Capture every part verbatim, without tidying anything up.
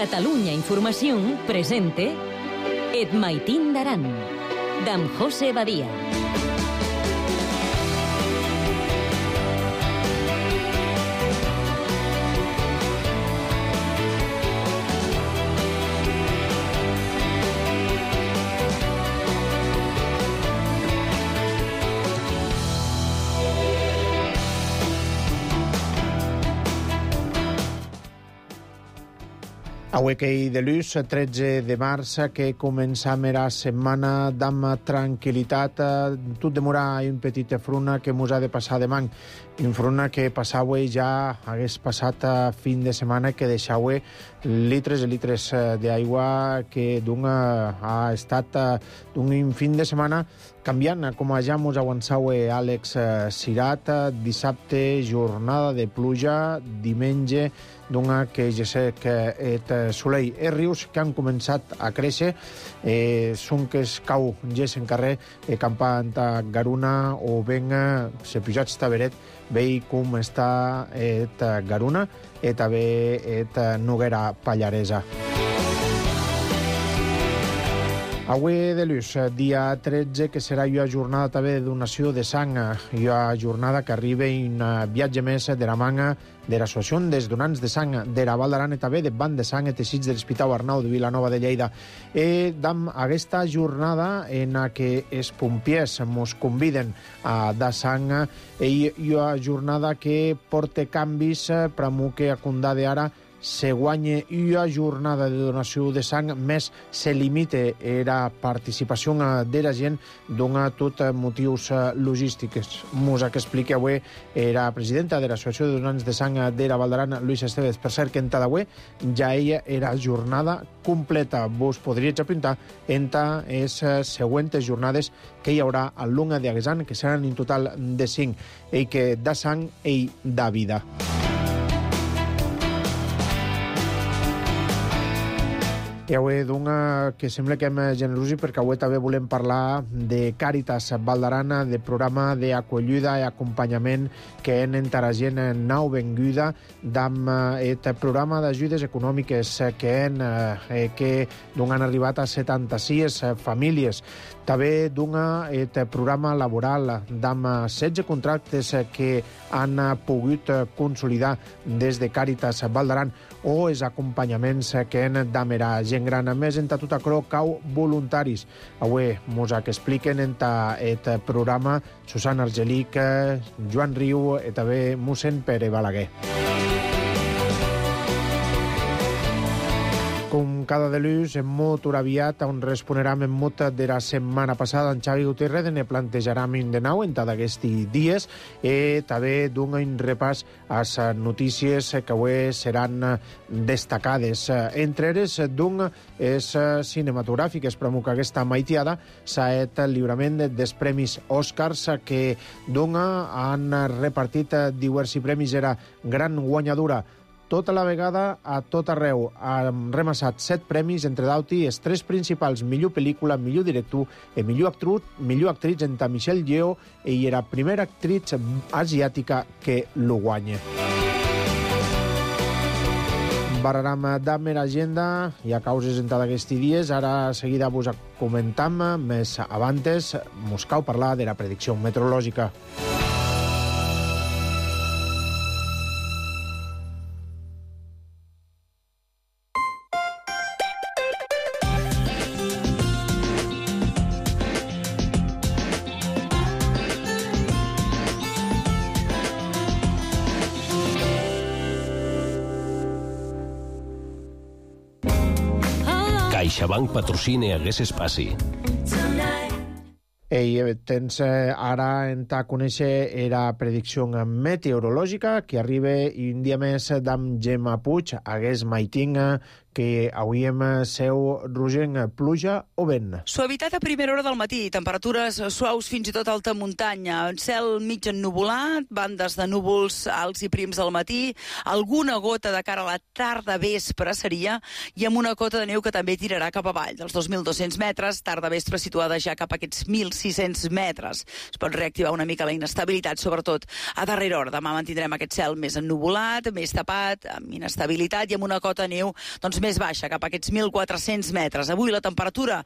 Catalunya Información presente Et Maitín d'Aran, d'en José Badia. Avui que hi de l'ús, tretze de març, que començam la setmana d'amb tranquil·litat. Tot demora un petit fruna que mos ha de passar demà. Un fruna que passava ja hagués passat fin de setmana, que deixava litres i litres d'aigua, que d'un ha estat d'un fin de setmana canviant, com ja mos avançava Àlex Cirat. Dissabte, jornada de pluja, diumenge, d'una que ja sé que et solei. Els rius que han començat a créixer, eh, són que es cau gés en carrer, eh, campant a Garuna o ben se pujats taberet, vei com està et Garuna i també et Noguera Pallaresa. Avui de l'ús, dia tretze, que serà una jornada també de donació de sang, una jornada que arriba un viatge més de la manga de l'Associació dels Donants de Sang de la Val d'Aran i també de Banc de Sang i Teixits de l'Hospital Arnau de Vilanova de Lleida. I d'am aquesta jornada en la que els pompiers mos conviden a dar sang, i una jornada que porta canvis per a que a Condà de Ara se guanya una jornada de donació de sang, més se limita la participació de la gent, dona tot motius logístics. Mos que explica avui la presidenta de l'Associació de Donants de Sang de la Val d'Aran, Luisa Estevez. Per cert, que en d'avui ja ella era jornada completa. Vos podríeu apuntar entre les següents jornades que hi haurà a l'Unga de Aguesan, que seran en total de cinc, i que da sang i da vida. I avui d'una que sembla que hem generosi, perquè avui també volem parlar de Càritas Val d'Aran, de programa d'acollida i acompanyament que en entara gent nou venguda d'amb et programa d'ajudes econòmiques que en eh, que d'un han arribat a setanta-sis famílies. També d'un et programa laboral d'amb setze contractes que han pogut consolidar des de Càritas Val d'Aran, o els acompanyaments que en d'amera gent gran. A més, en tot això cau voluntaris. Avui mos que expliquen en et programa Susana Argelic, Joan Riu i també mossèn Pere Balaguer. Com cada dilluns, en mot aviat, on responerem en mot de la setmana passada, en Xavi Gutiérrez ne plantejarem de nou en tots aquests dies, i també d'un un repàs a les notícies que avui seran destacades. Entre elles, d'un és cinematogràfiques, però que aquesta maitiada s'ha fet el lliurament dels premis Oscars, que d'un han repartit diversos premis, era gran guanyadora tota la vegada a tot arreu. Han remassat set premis, entre d'altres els tres principals: millor pel·lícula, millor director i millor actriz, millor actriz entre Michelle Yeoh, i era primera actriz asiàtica que lo guanya. Barraram d'Amer Agenda i a causes en tots aquests dies. Ara seguida vos comentam, més abans mos cal parlar de la predicció meteorològica. CaixaBank patrocina Hagués Espaci. Ei, tens ara en ta conèixer la predicció meteorològica que arriba un dia més d'amb Gemma Puig, Hagués Maitín, que avui hem seu rogent pluja o vent. Suavitat a primera hora del matí, temperatures suaus fins i tot alta muntanya, cel mig ennuvolat, bandes de núvols alts i prims al matí, alguna gota de cara a la tarda vespre seria, i amb una cota de neu que també tirarà cap avall, dels dos mil dos-cents metres, tarda vespre situada ja cap a aquests mil sis-cents metres. Es pot reactivar una mica la inestabilitat, sobretot a darrera hora. Demà mantindrem aquest cel més ennuvolat, més tapat, amb inestabilitat i amb una cota de neu doncs, més baixa, cap a aquests mil quatre-cents metres. Avui la temperatura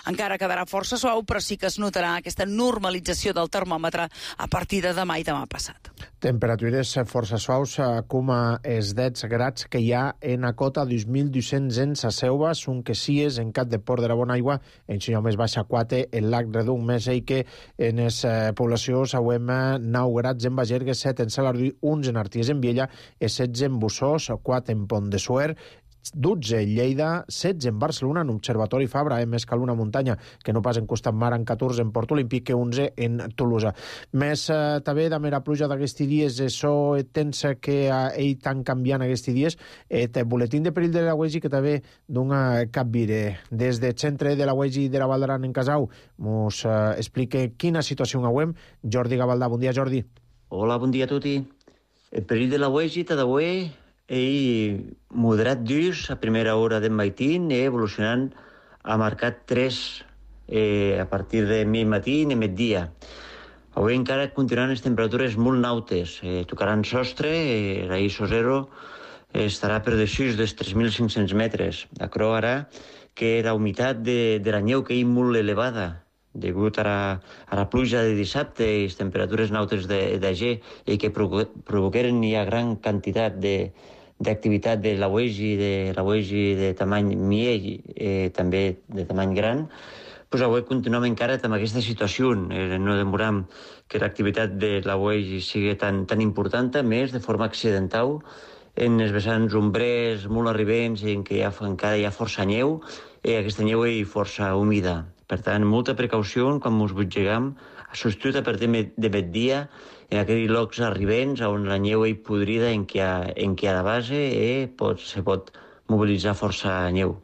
encara quedarà força suau, però sí que es notarà aquesta normalització del termòmetre a partir de demà i demà passat. Temperatures força suaus, com els deu grads que hi ha en a cota dos mil dos-cents en sa Selva, són que sies en Cap de Port de la Bonaigua, en senyor més baixa quatre, el lac Redung, més i que en les eh, poblacions hauem nou grads en Bagergue, set en Salardí, uns en Arties en Viella, i setze en Bussós, quatre en Pont de Suert, dotze en Lleida, setze en Barcelona, en Observatori Fabra, eh, més cal una muntanya, que no pas en Costat Mar, en catorze en Port Olímpic, que onze en Tolosa. Més eh, també de mera pluja d'aquests dies, això tens que eh, ell tan canviant aquests dies, et boletín de perill de la Uegi que també dona capvire. Des del centre de la Uegi de la Val d'Aran en Casau, mos eh, explique quina situació hauem. Jordi Gavaldà, bon dia, Jordi. Hola, bon dia a tutti. El perill de la Uegi t'ha d'avui ell moderat durs a primera hora del matí, eh, evolucionant ha marcat tres eh, a partir de mi matí i migdia. Avui encara continuaran les temperatures molt nautes, eh, tocaran sostre, eh, la I S O zero eh, estarà per desús dels tres mil cinc-cents metres. Acro ara que la humitat de, de la neu que és molt elevada, degut a la, a la pluja de dissabte i les temperatures nautes de, de G i que provoqueren ja gran quantitat de, d'activitat de la Uegi, de la Uegi de tamany miell, eh, també de tamany gran, pues avui continuem encara amb aquesta situació. Eh, no demoram que l'activitat de la Uegi sigui tan, tan important, a més, de forma accidental, en els vessants ombrers molt arribents, en què hi ha, encara hi ha força neu, i aquesta neu és força humida. Per tant, molta precaució quan ens butgegam, substitut a partir de migdia, en aquells llocs arribents on la neu és podrida en què hi ha, en què hi ha de base i pot, se pot mobilitzar força neu.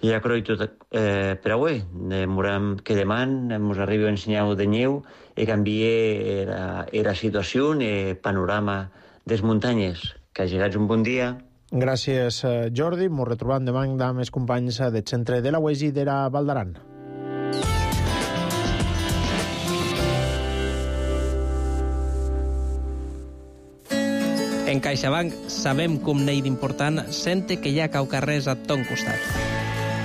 I ja crec tot eh, per avui. Demorem que demà ens arribi un senyal de neu i canvie la, la situació, el panorama de les muntanyes. Que hagis un bon dia. Gràcies, Jordi. Ens retrobem demà amb els companys del centre de la Uegi de la Val d'Aran. En CaixaBank sabem com n'hi d'important sente que hi ha caucarrers a ton costat.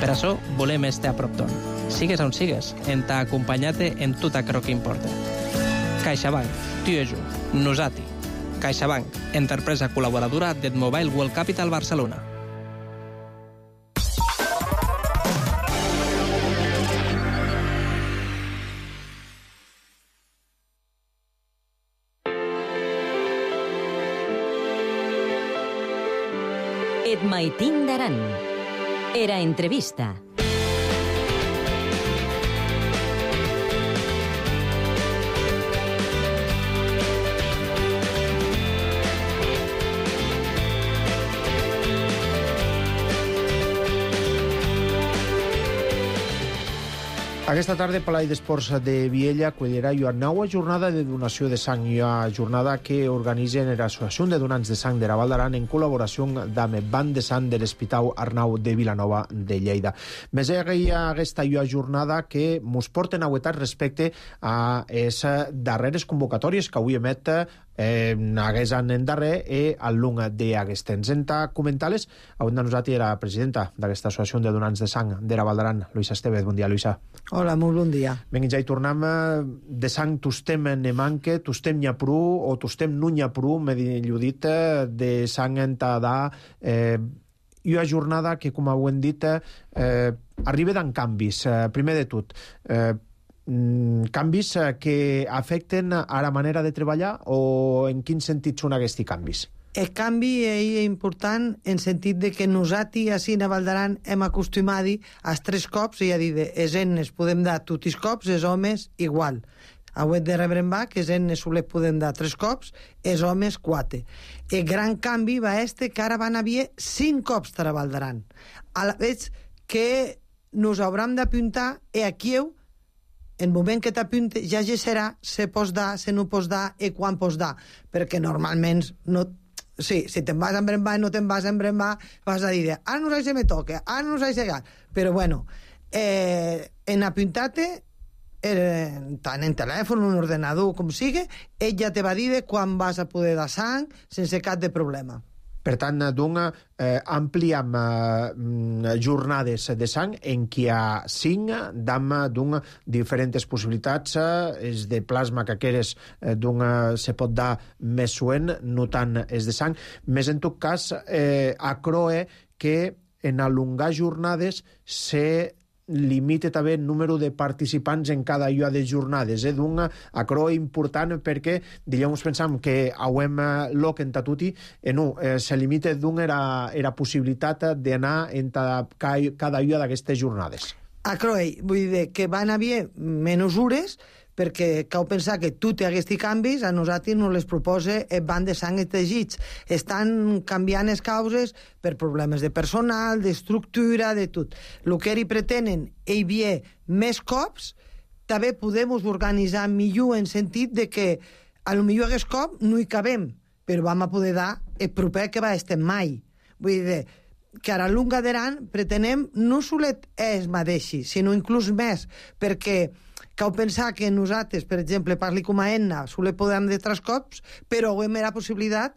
Per això volem estar a prop ton. Sigues on sigues, en t'ha acompanyat en tot aquello que importa. CaixaBank, tu i jo, nosati. CaixaBank, empresa col·laboradora del Mobile World Capital Barcelona. Et Maitín d'Aran. Era entrevista. Aquesta tarda, Palai d'Esports de Viella acollerà una nova jornada de donació de sang, una jornada que organitzen l'Associació de Donants de Sang de la Val d'Aran en col·laboració amb el Banc de Sang de l'Hospital Arnau de Vilanova de Lleida. Més hi ha aquesta jornada que ens porten a veure respecte a les darreres convocatòries que avui emet eh, haguessin en darrer i al lung d'aquest temps. En comentar-les, avui de nosaltres era la presidenta d'aquesta Associació de Donants de Sang de la Val d'Aran, Luisa Estevez. Bon dia, Luisa. Hola, molt bon dia. Vinga, ja hi tornem. De sang tostem ne manque, tostem n'hi ha prou, o tostem no n'hi ha prou, millor dit, de sang en t'ha eh, i una jornada que, com ho hem dit, eh, arriba d'en canvis. Eh, primer de tot, eh, canvis que afecten a la manera de treballar o en quin sentit són aquests canvis? El canvi és important en sentit de que nosaltres, així a Val d'Aran, hem acostumat als tres cops, i a dir, els ennes podem dar tots els cops, els homes igual. Avui de rebre en va que els ennes sols podem dar tres cops, els homes quatre. El gran canvi va este que ara van haver cinc cops a Val d'Aran. A la vegada que nos hauram d'apuntar i aquí en el moment que t'apunte ja serà se pots dar, se no pots dar i quan pots dar, perquè normalment no. Sí, si te'n vas en brembar i no te'n vas en brembar, vas a dir, ara no sé si me toca, ara no sé si llegar. Però bueno, eh, en apuntar-te, eh, tant en telèfon, en ordenador, com sigui, ell ja te va dir quan vas a poder dar sang sense cap de problema. Per tant, d'un, eh, ampliam eh, jornades de sang en què hi ha cinc d'am d'un diferents possibilitats, eh, és de plasma que aqueres eh, d'un eh, se pot dar més suent, no tant és de sang, més en tot cas eh, acroe que en alongar jornades se limite també el número de participants en cada llua de jornades. Eh? D'un acro important perquè, dilluns pensam que auem loc en tatuti, eh, no, eh, se limite d'un era, era possibilitat d'anar en ta, cada llua d'aquestes jornades. Acroe, vull dir que van haver menys hores perquè cal pensar que tot aquests canvis a nosaltres no les proposa el banc de sang i teixits. Estan canviant les causes per problemes de personal, d'estructura, de tot. El que ells pretenen hi havia més cops, també podem organitzar millor en sentit de que a lo millor aquest cop no hi cabem, però vam a poder dar el proper que va estar mai. Vull dir que ara a Lunga d'Aran pretenem no solet és mateixi, sinó inclús més, perquè cal pensar que nosaltres, per exemple, parli com a Enna, sole podem de tres cops, però ho hem la possibilitat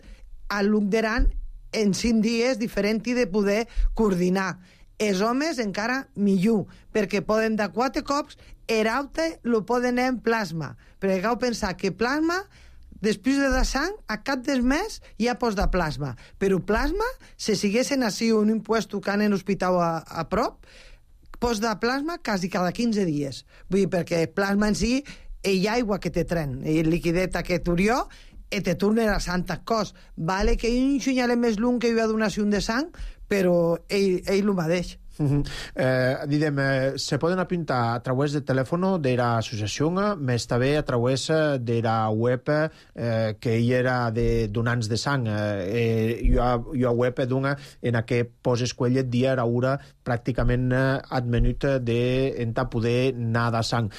a Lunga d'Aran en cinc dies diferent i de poder coordinar. Els homes encara millor, perquè poden dar quatre cops, eraute lo poden en plasma, perquè cal pensar que plasma després de dar sang, a cap del mes ja pots dar plasma. Però plasma, si siguessin així un impuesto que han en l'hospital a, a prop, pots dar plasma quasi cada quinze dies. Vull dir, perquè el plasma en si hi ha aigua que te tren, el liquideta que turió, i te torna a Santa Cos. Vale que hi un xunyale més lung que hi ha donació de sang, però ell, ell ho mateix. Uh-huh. eh, didem, eh, se poden apuntar a través de telèfono de l'associació, més també a través de la web eh, que hi era de donants de sang. Eh, hi ha, hi ha web d'una en què poses quella dia a hora pràcticament ad minut de en ta poder anar de sang.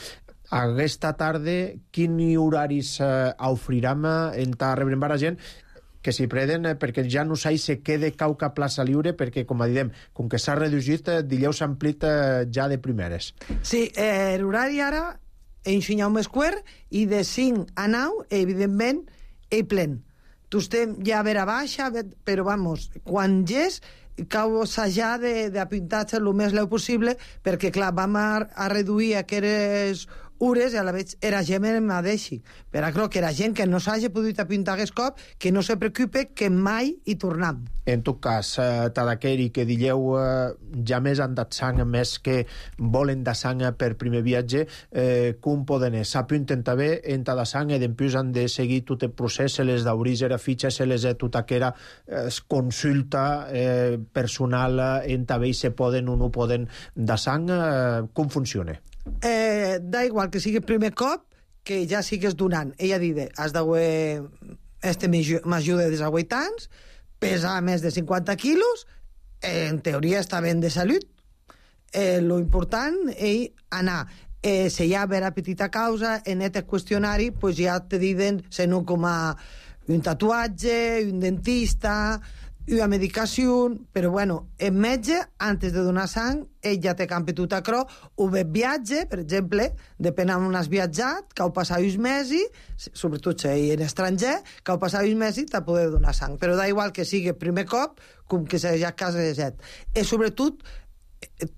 Aquesta tarda, quins horaris eh, ofrirem en ta rebrembar a gent que s'hi preden, perquè ja no s'hi se quede cauca plaça lliure, perquè, com diem, com que s'ha reduït, dilluns s'ha amplit ja de primeres. Sí, eh, l'horari ara ensenyar un mesquer i de cinc a nou, evidentment, ell plen. Tu estem ja a vera baixa, però, vamos, quan és, cal assajar d'apuntar-se el més leu possible, perquè, clar, vam a, a reduir aquelles hores i a la vegada era gent en mateixi. Però crec que era gent que no s'hagi pogut apuntar aquest cop, que no se preocupe, que mai hi tornem. En tot cas, eh, Tadaqueri, que dilleu eh, ja més han dat sang, més que volen de sang per primer viatge, eh, com poden és? S'apunten també en ta de sang i després han de seguir tot el procés, se les d'obrir a fitxa, se les de tota aquella eh, consulta eh, personal en també se poden o no poden de sang, eh, com funciona? Eh, da igual que sigui el primer cop que ja sigues donant. Ella diu, has d'haver este major de desavuit anys, pesa més de cinquanta quilos, en teoria està ben de salut. Eh, lo important és anar. Eh, si hi ha vera petita causa, en aquest qüestionari pues ja te diuen si no com a un tatuatge, un dentista, una medicació, però bueno, el metge, antes de donar sang, ell ja té campi tot acrò, o bé viatge, per exemple, depèn on has viatjat, que heu passat uns mesos, sobretot si hi en estranger, que heu passat uns mesos t'ha poder donar sang. Però da igual que sigui el primer cop, com que sigui a casa de set. I sobretot,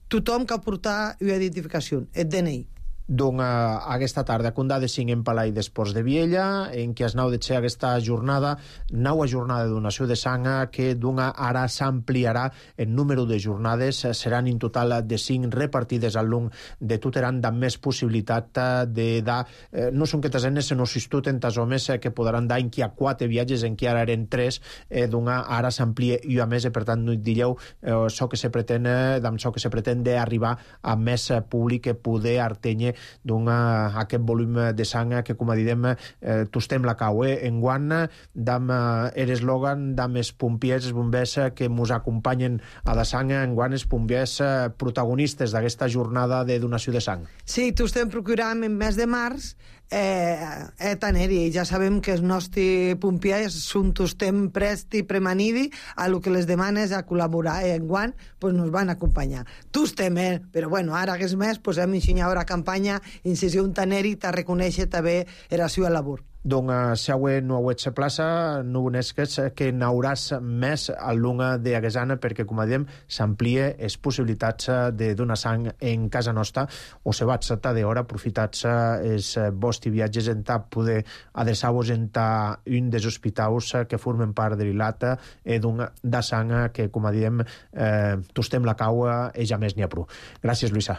tothom que ha portat una identificació, el D N I. Donc, aquesta tarda, Condà de cinc en Palai d'Esports de Viella, en què es nau de ser aquesta jornada, nova jornada de donació de sang, que d'una ara s'ampliarà el número de jornades, seran en total de cinc repartides al long de tot Aran, amb més possibilitat de dar, eh, no són que t'asenes, sinó s'istut en tas homes que podran dar en què hi ha quatre viatges, en què ara eren tres, eh, d'una ara s'amplia i a més, per tant, no et dilleu, eh, això que se pretén, amb això que se pretén d'arribar a més públic que poder artenyer d'un aquest volum de sang que, com a didem, eh, tostem la cau. Eh? Enguant, dam eh, eslògan dam els pompiers, els bombers que mos acompanyen a la sang, enguant els pompiers eh, protagonistes d'aquesta jornada de donació de sang. Sí, tostem procurant en mes de març eh, eh, tenir-hi. Ja sabem que els nostres pompiers són tostem presti premanidi a lo que les demanes a col·laborar. Eh, enguant, pues nos van acompanyar. Tostem, eh? Però bueno, ara que és més, pues hem ensenyat la campanya incisió un taneri t'ha reconèixer també la seva labor. Donc, si avui no auets plaça, no unesques que n'hauràs més a l'unga de Aguesana perquè, com a diem, s'amplia les possibilitats de donar sang en casa nostra o se vaig a d'hora aprofitats els vostres viatges en ta poder adreçar-vos en ta un dels hospitals que formen part de l'Ilata i d'un de sang que, com a diem, eh, tostem la caua i ja més n'hi ha prou. Gràcies, Luisa.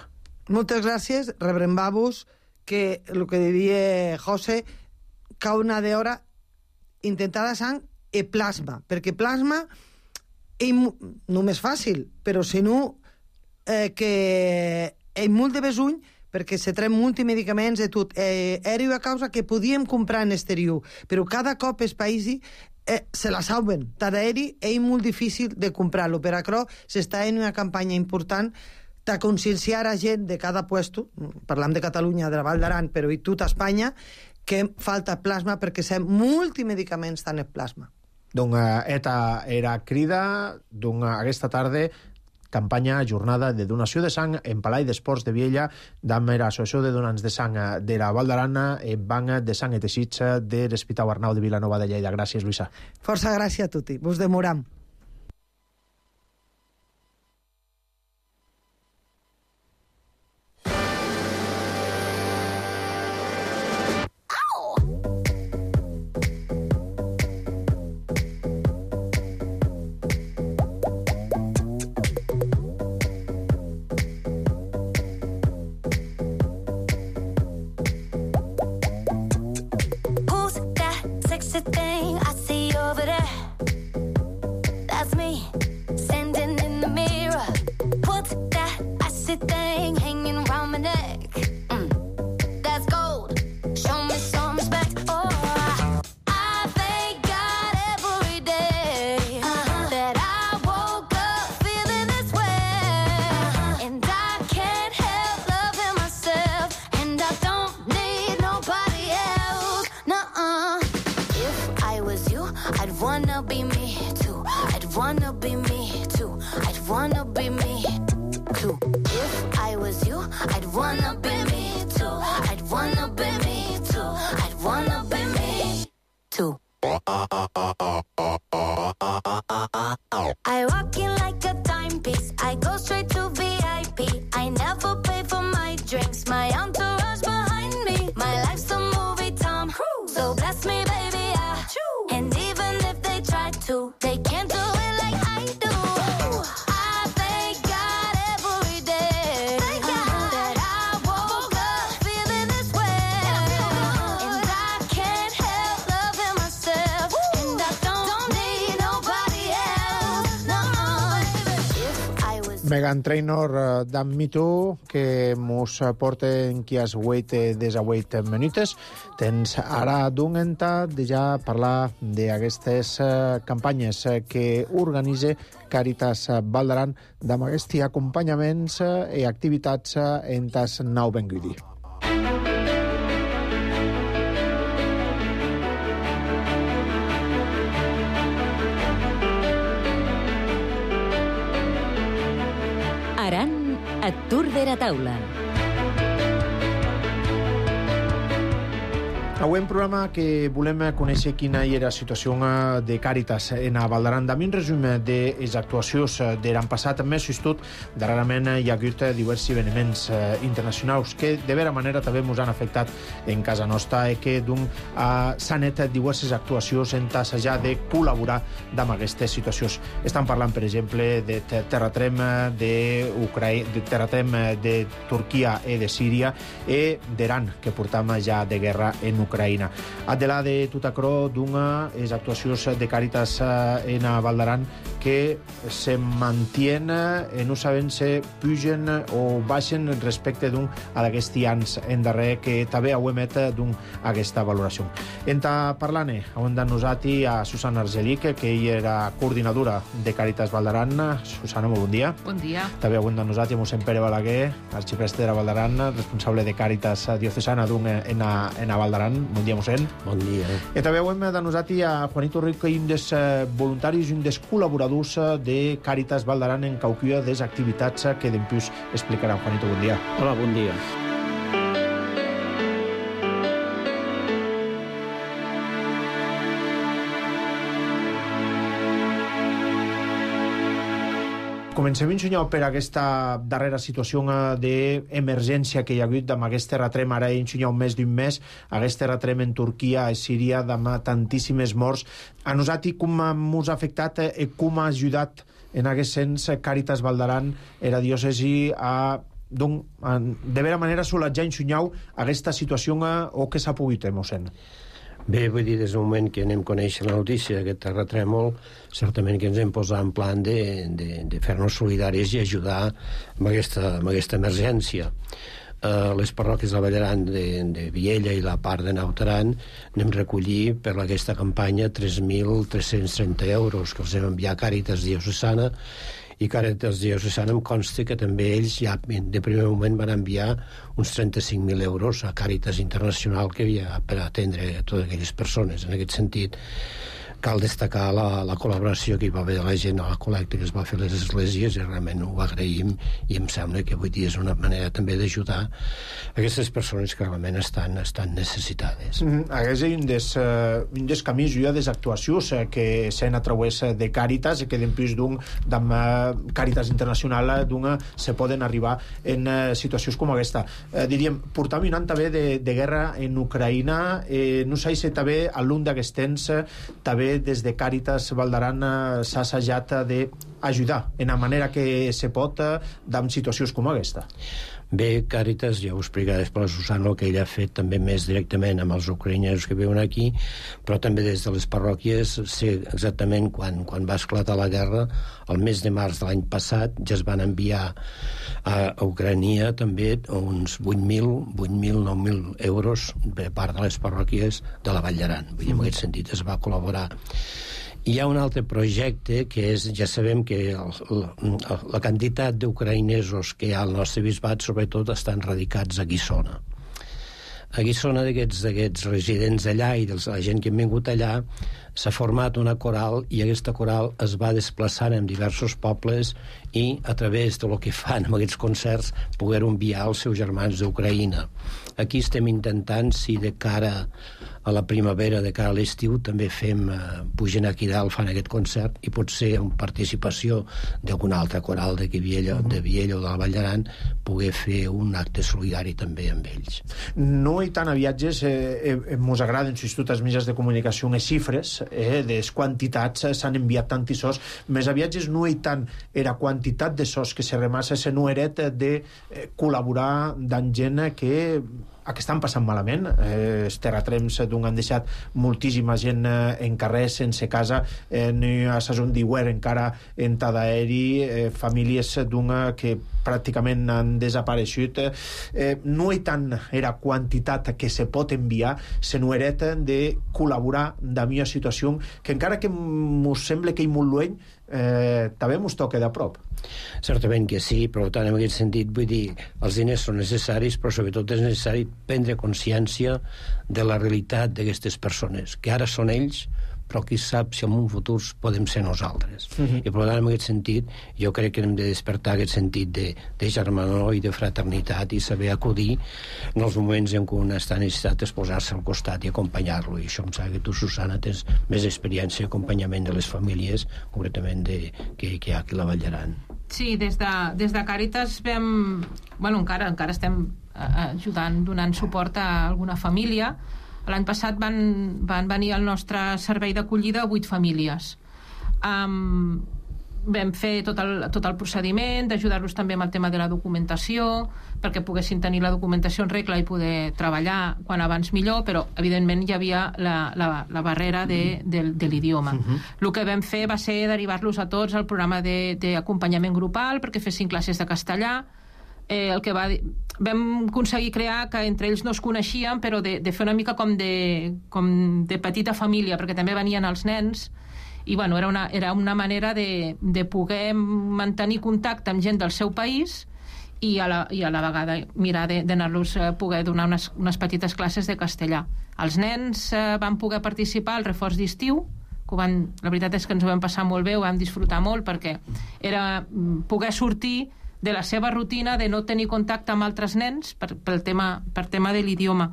Moltes gràcies. Rebrem-vos que el que diria José, cada una d'hora intentar la sang i plasma, perquè plasma és només fàcil, però si no eh, que és molt de besuny perquè se trem multimedicaments i tot. Eh, era una causa que podíem comprar en exterior, però cada cop els països eh, se la saben. Tant aeri és molt difícil de comprar-lo. Per això s'està en una campanya important de conscienciar a gent de cada puesto, parlam de Catalunya, de la Val d'Aran, però i tota Espanya, que falta plasma perquè sem multimedicaments tant en plasma. Donc, eta era crida d'un aquesta tarda campanya jornada de donació de sang en Palai d'Esports de Viella d'Amer Associació de Donants de Sang de la Val d'Aran en banc de sang i teixits de l'Hospital Arnau de Vilanova de Lleida. Gràcies, Luisa. Força gràcies a tutti. Vos demoram. Megan Trainor d'en Me Too, que mos porten qui has wait des a wait minutes. Tens ara d'un enta de ja parlar d'aquestes campanyes que organitza Càritas Val d'Aran amb aquests acompanyaments i activitats en tas nou Benguidi. Aran et Tour de la Taula. Avui un programa que volem conèixer quina era la situació de Càritas en a Val d'Aran. Amb un resum de les actuacions de l'any passat, més tot, darrerament hi ha hagut diversos esdeveniments internacionals que de vera manera també ens han afectat en casa nostra i que s'han fet diverses actuacions en tassejar de col·laborar amb aquestes situacions. Estan parlant, per exemple, de terratrem de, de terratrem de Turquia i de Síria i d'Iran, que portam ja de guerra en Ucraïna. Ucraïna. Adela de Tutacró d'una les actuacions de Càritas en a Val d'Aran que se mantien i no sabem si pugen o baixen respecte d'un a d'aquests anys en darrer que també ho emet d'un aquesta valoració. Enta parlant, on de nosati a Susana Argelic, que ella era coordinadora de Càritas Val d'Aran. Susana, molt bon dia. Bon dia. També on de nosati a mossèn Pere Balaguer, arxipreste de la Val d'Aran, responsable de Càritas diocesana d'un en a, en a Val d'Aran. Bon dia, mossèn. Bon dia. I també hem de nosati a Juanito Rico, un dels voluntaris i un dels col·laboradors de Càritas Val d'Aran en cauquia des activitats que d'empús explicarà. Juanito, bon dia. Hola, bon dia. Comencem, senyor, per aquesta darrera situació d'emergència que hi ha hagut amb aquest terratrem, ara senyor, més d'un mes, aquest terratrem en Turquia, a Síria, amb tantíssimes morts. A nosaltres, com ens ha afectat i com ha ajudat en aquest sens Càritas Valdaran, era diòcesi, a donc, de vera manera solatjar, senyor, aquesta situació o que s'ha pogut, mossèn? Bé, vull dir, des del moment que anem a conèixer la notícia d'aquest terratrèmol, certament que ens hem posat en plan de, de, de fer-nos solidaris i ajudar amb aquesta, amb aquesta emergència. Uh, les parròquies de Vallaran, de, de Viella i la part de Naut Aran anem a recollir per aquesta campanya tres mil tres-cents trenta euros que els hem enviat a Càritas Diocesana, i Càritas Diocesana em consta que també ells ja de primer moment van enviar uns trenta-cinc mil euros a Càritas Internacional que havia per atendre a totes aquelles persones. En aquest sentit, cal destacar la, la col·laboració que hi va haver de la gent a la col·lecta que es va fer a les esglésies, i realment ho agraïm, i em sembla que avui dia és una manera també d'ajudar aquestes persones que realment estan, estan necessitades. Mm, aquest és un dels, uh, un dels camins i des actuacions uh, que s'han a través de Càritas, que després d'un d'amb uh, Càritas Internacional d'un se poden arribar en uh, situacions com aquesta. Uh, diríem, portam un any també de, de guerra en Ucraïna, eh, no sé si també a l'un d'aquests temps uh, també des de Càritas Valdaran s'ha assajat d'ajudar en la manera que se pot en situacions com aquesta. Bé, Càritas, ja ho explicaré després la Susana, el que ella ha fet també més directament amb els ucraïnesos que viuen aquí, però també des de les parròquies sé exactament quan, quan va esclatar la guerra, el mes de març de l'any passat, ja es van enviar a, a Ucrania també uns vuit mil, nou mil euros per part de les parròquies de la Vall d'Aran. Vull dir, en aquest sentit es va col·laborar. Hi ha un altre projecte que és, ja sabem que el, la, la quantitat d'ucraïnesos que hi ha al nostre bisbat sobretot estan radicats a Guissona. A Guissona d'aquests residents allà i de la gent que han vingut allà s'ha format una coral, i aquesta coral es va desplaçant en diversos pobles i a través de lo que fan amb aquests concerts poder enviar als seus germans d'Ucraïna. Aquí estem intentant, si de cara a la primavera, de cara a l'estiu, també fem, eh, pugen aquí dalt, fan aquest concert, i potser amb participació d'algun altre coral de Viella, de Viella o de la Vall d'Aran, poder fer un acte solidari també amb ells. No hi tant a viatges, eh, eh, mos agraden, si tots els mitjans de comunicació, les xifres, eh, de les quantitats, eh, s'han enviat tant i sos, més a viatges no hi tant era quantitat de sos que se remassa se no eret de eh, col·laborar amb gent que a que estan passant malament. Eh, els terratrems d'un han deixat moltíssima gent eh, en carrer, sense casa, eh, ni a Sason d'Iwer encara en Tadaeri, eh, famílies d'una que pràcticament han desapareixut. Eh, no hi tant era quantitat que se pot enviar, sinó era de col·laborar amb una situació que encara que mos sembla que hi molt lluny, eh, també mos toca de prop. Certament que sí, però tant en aquest sentit vull dir, els diners són necessaris, però sobretot és necessari prendre consciència de la realitat d'aquestes persones, que ara són ells, però qui sap si en un futur podem ser nosaltres. Uh-huh. I per tant, en aquest sentit, jo crec que hem de despertar aquest sentit de, de germanor i de fraternitat i saber acudir en els moments en què un està necessitat de posar-se al costat i acompanyar-lo. I això em sembla que tu, Susana, tens més experiència d'acompanyament de les famílies, concretament de, que, que hi ha aquí a la Vall d'Aran. Sí, des de, des de Càritas vam... Bueno, encara, encara estem ajudant, donant suport a alguna família. L'any passat van, van venir al nostre servei d'acollida vuit famílies. Um, vam fer tot el, tot el procediment d'ajudar-los també amb el tema de la documentació, perquè poguessin tenir la documentació en regla i poder treballar quan abans millor, però evidentment hi havia la, la, la barrera de, de, de l'idioma. Uh-huh. El que vam fer va ser derivar-los a tots al programa d'acompanyament grupal perquè fessin classes de castellà. Eh, el que va dir, vam aconseguir crear que entre ells no es coneixien, però de, de fer una mica com de, com de petita família, perquè també venien els nens, i bueno, era una, era una manera de, de poder mantenir contacte amb gent del seu país i a la, i a la vegada mirar d'anar-los a poder donar unes, unes petites classes de castellà. Els nens eh, van poder participar al reforç d'estiu, que van, la veritat és que ens ho vam passar molt bé, ho vam disfrutar molt, perquè era poder sortir de la seva rutina de no tenir contacte amb altres nens per, pel tema, per tema de l'idioma.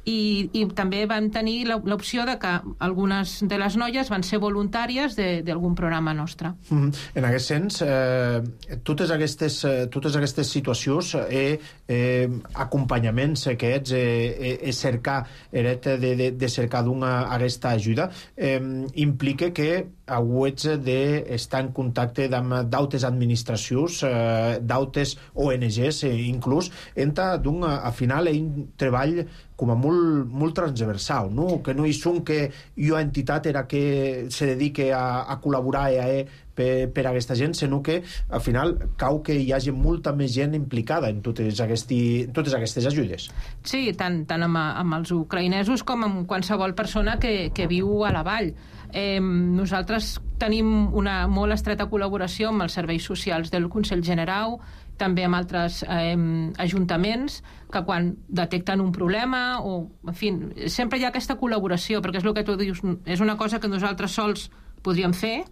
i, i també vam tenir l'opció de que algunes de les noies van ser voluntàries d'algun programa nostre. Mm, en aquest sens, eh, totes, aquestes, eh, totes aquestes situacions eh, eh, acompanyaments aquests, eh, eh, cercar de, de, de cercar d'una aquesta ajuda, eh, implica que hauets d'estar en contacte amb d'altres administracions, eh, d'altres O N Gs, eh, inclús, entra d'un, a final, un treball com a molt, molt transversal, no? Que no hi són que jo entitat era que se dedique a, a col·laborar eh, per, per a aquesta gent, sinó que al final cau que hi hagi molta més gent implicada en totes, aquesti, totes aquestes ajudes. Sí, tant, tant amb, amb els ucraïnesos com amb qualsevol persona que, que viu a la vall. Eh, nosaltres tenim una molt estreta col·laboració amb els serveis socials del Consell General, també amb altres eh, ajuntaments que quan detecten un problema o, en fi, sempre hi ha aquesta col·laboració, perquè és el que tu dius, és una cosa que nosaltres sols podríem fer,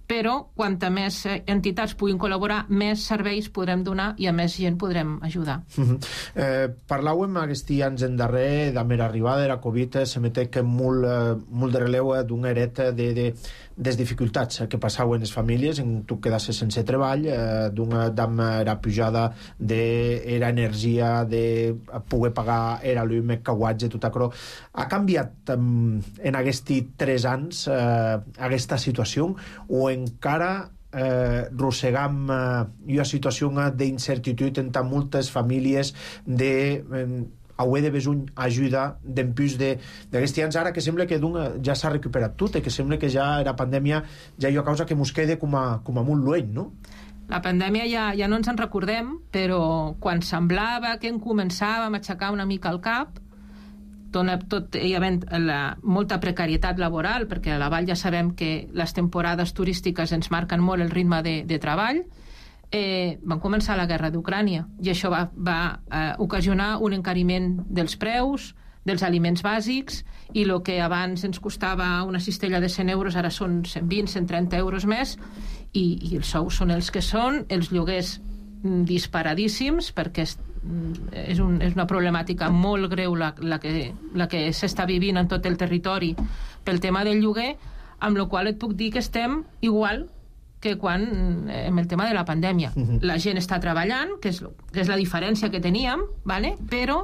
però quanta més entitats puguin col·laborar, més serveis podrem donar i a més gent podrem ajudar. Uh-huh. eh, parlàvem aquests anys en darrer de la arribada de la Covid, se metec molt, molt de releu d'una eret de, de, des dificultats que passaven les famílies, en tu quedasses sense treball, eh, d'una amb la pujada de era energia, de poder pagar era llum, cauatge, tot això. Ha canviat um, en aquests tres anys eh, aquesta situació o encara eh, rossegam eh, una situació d'incertitud entre moltes famílies de eh, haver de besuny ajuda d'empús d'aquests anys ara que sembla que ja s'ha recuperat tot i que sembla que ja la pandèmia ja hi ha causa que mos quede com a, com a molt lluny, no? La pandèmia ja, ja no ens en recordem, però quan semblava que en començàvem a aixecar una mica el cap, tot hi havent la, molta precarietat laboral, perquè a la Vall ja sabem que les temporades turístiques ens marquen molt el ritme de, de treball, eh, van començar la guerra d'Ucrània i això va, va eh, ocasionar un encariment dels preus, dels aliments bàsics, i el que abans ens costava una cistella de cent euros ara són cent vint, cent trenta euros més, i, i els sous són els que són, els lloguers disparadíssims, perquè és, és, un, és una problemàtica molt greu la, la que, la que s'està vivint en tot el territori pel tema del lloguer, amb la qual et puc dir que estem igual que quan amb el tema de la pandèmia. Uh-huh. La gent està treballant, que és, que és la diferència que teníem, ¿vale? Però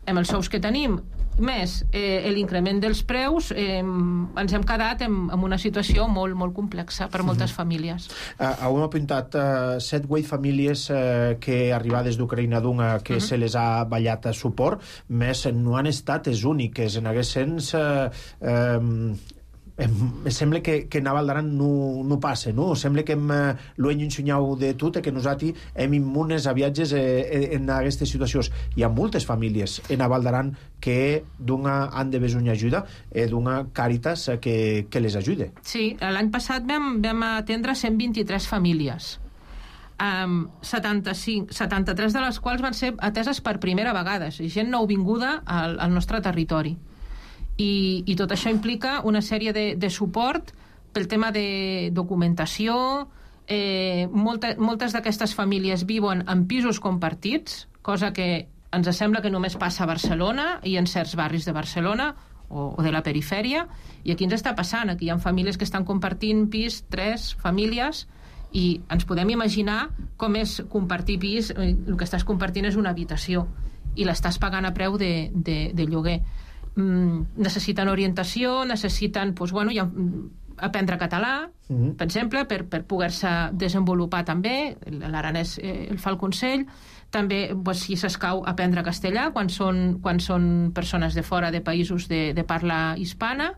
amb els sous que tenim més eh, l'increment dels preus, eh, ens hem quedat en, en una situació molt, molt complexa per moltes mm-hmm. famílies. Uh, heu apuntat uh, set vuit famílies uh, que arribades d'Ucraïna d'una que mm-hmm. se les ha ballat a suport, més no han estat les úniques. En aquest sens uh, um, em sembla que, que a Valdaran no, no passa, no? Sembla que hem eh, l'ho hem ensenyat de tot, que nosaltres hem immunes a viatges eh, en aquestes situacions. Hi ha moltes famílies en Valdaran que d'una han de besonjar ajuda, eh, d'una Càritas eh, que, que les ajude. Sí, l'any passat vam, vam atendre cent vint-i-tres famílies. Um, setanta-cinc, setanta-tres de les quals van ser ateses per primera vegada, és gent nouvinguda al, al nostre territori. I, i tot això implica una sèrie de, de suport pel tema de documentació. Eh, molta, moltes d'aquestes famílies viuen en pisos compartits, cosa que ens sembla que només passa a Barcelona i en certs barris de Barcelona o, o de la perifèria, i aquí ens està passant. Aquí hi ha famílies que estan compartint pis, tres famílies, i ens podem imaginar com és compartir pis. El que estàs compartint és una habitació i l'estàs pagant a preu de, de, de lloguer. Necessiten orientació, necessiten doncs, bueno, ja, aprendre català, mm-hmm. per exemple, per, per poder-se desenvolupar també. L'aranès eh, el fa el Consell. També, doncs, si s'escau, aprendre castellà quan són, quan són persones de fora de països de, de parla hispana,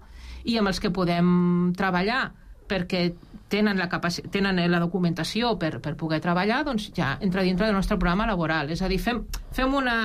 i amb els que podem treballar perquè tenen la, capaci- tenen la documentació per, per poder treballar, doncs ja entra dintre del nostre programa laboral. És a dir, fem, fem una...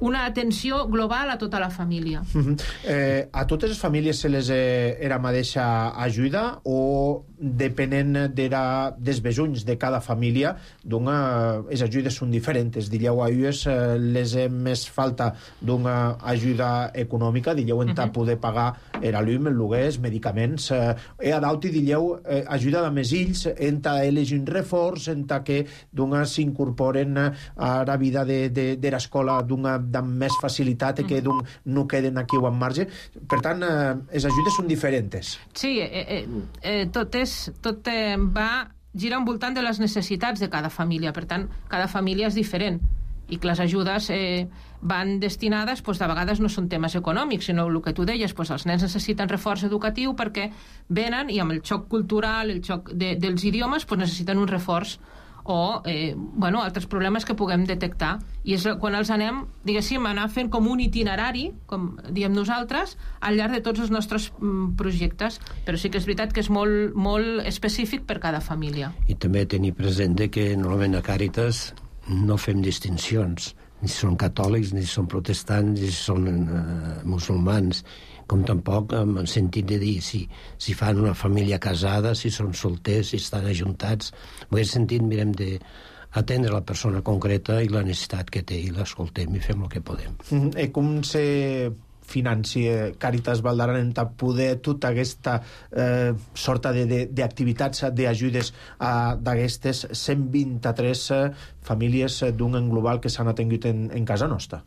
una atenció global a tota la família. Uh-huh. Eh, a totes les famílies se les eh, era mateixa ajuda o depenent d'era, dels besunys de cada família, d'una, les ajudes són diferents. Dilleu a ells eh, les hem més falta d'una ajuda econòmica, dilleu en uh-huh. poder pagar era llum, el lloguers, medicaments. Eh, e a d'auti dilleu eh, ajuda de més ills enta elegir un reforç, enta que d'una s'incorporen a la vida de, de, de l'escola d'una amb més facilitat, que d'un no queden aquí o en marge. Per tant, eh, les ajudes són diferents. Sí, eh, eh, eh, tot, és, tot eh, va girar envoltant de les necessitats de cada família. Per tant, cada família és diferent i que les ajudes eh, van destinades, doncs, de vegades no són temes econòmics, sinó el que tu deies, doncs, els nens necessiten reforç educatiu perquè venen i amb el xoc cultural, el xoc de, dels idiomes, doncs, necessiten un reforç o eh, bueno, altres problemes que puguem detectar. I és quan els anem, diguéssim, anar fent com un itinerari, com diem nosaltres, al llarg de tots els nostres mm, projectes. Però sí que és veritat que és molt, molt específic per cada família. I també tenir present que normalment a Càritas no fem distincions, ni són catòlics, ni són protestants, ni són eh, musulmans, com tampoc en el sentit de dir si, si fan una família casada, si són solters, si estan ajuntats. En aquest sentit mirem d'atendre la persona concreta i la necessitat que té, i l'escoltem i fem el que podem. Mm-hmm. I com se financie Càritas Val d'Aran per poder tota aquesta eh, sorta d'activitats, d'ajudes d'aquestes cent vint-i-tres eh, famílies d'un en global que s'han atengut en, en casa nostra?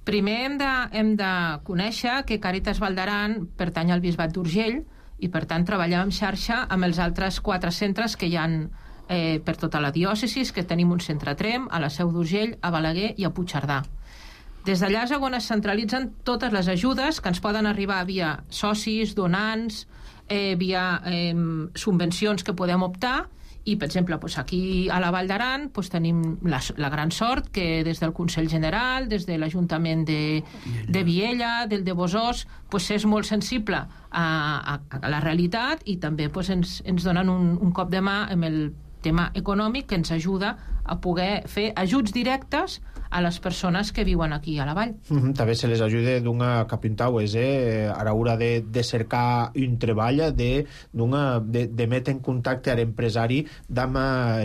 Primer hem de, hem de conèixer que Càritas Val d'Aran pertany al Bisbat d'Urgell i, per tant, treballem en xarxa amb els altres quatre centres que hi ha eh, per tota la diòcesis, que tenim un centre a Tremp, a la Seu d'Urgell, a Balaguer i a Puigcerdà. Des d'allà és on es centralitzen totes les ajudes que ens poden arribar via socis, donants, eh, via eh, subvencions que podem optar. I, per exemple, doncs aquí a la Vall d'Aran doncs tenim la, la gran sort que des del Consell General, des de l'Ajuntament de, de Viella, del de Bosòs, doncs és molt sensible a, a, a la realitat i també doncs, ens, ens donen un, un cop de mà amb el tema econòmic que ens ajuda a poder fer ajuts directes a les persones que viuen aquí a la vall. Mm-hmm. També se les ajuda d'una capintau, és eh, a l'hora de, de cercar un treball, de, de, de metre en contacte amb l'empresari amb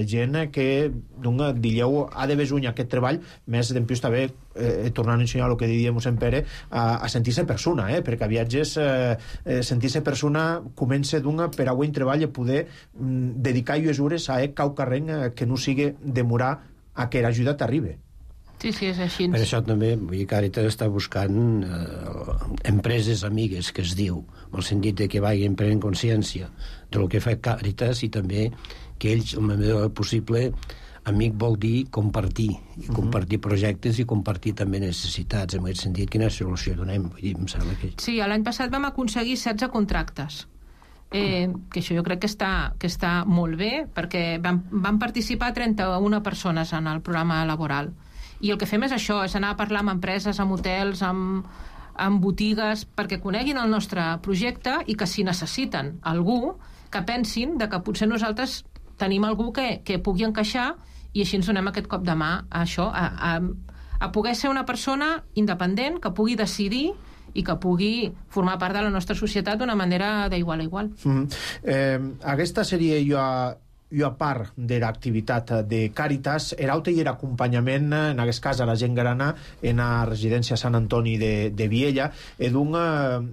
gent que d'una dilleu ha de besuny aquest treball, més d'empius també eh, tornant a ensenyar el que diríem en Pere, a, a sentir-se persona, eh, perquè a viatges eh, eh, sentir-se persona comença d'una per a un treball a poder mm, dedicar llues hores a eh, cau carreng eh, que no sigui demorar a que l'ajuda t'arribi. Sí, sí, és així. Per això també, vull dir, Càritas està buscant eh, empreses amigues, que es diu, en el sentit de que vagin prenent consciència del que fa Càritas i també que ells, el millor possible, amic vol dir compartir, i compartir uh-huh. projectes i compartir també necessitats. En aquest sentit, quina solució donem? Vull dir, em sembla que... Sí, l'any passat vam aconseguir setze contractes. Eh, que això jo crec que està, que està molt bé, perquè van, van participar trenta-una persones en el programa laboral. I el que fem és això, és anar a parlar amb empreses, amb hotels, amb, amb botigues, perquè coneguin el nostre projecte i que si necessiten algú, que pensin de que potser nosaltres tenim algú que, que pugui encaixar i així ens donem aquest cop de mà a això, a, a, a poder ser una persona independent, que pugui decidir i que pugui formar part de la nostra societat d'una manera d'igual a igual. Mm-hmm. eh, aquesta seria jo a i a part de l'activitat de Càritas, era altre i era acompanyament, en aquest cas, a la gent grana en la residència Sant Antoni de, de Viella, i d'un,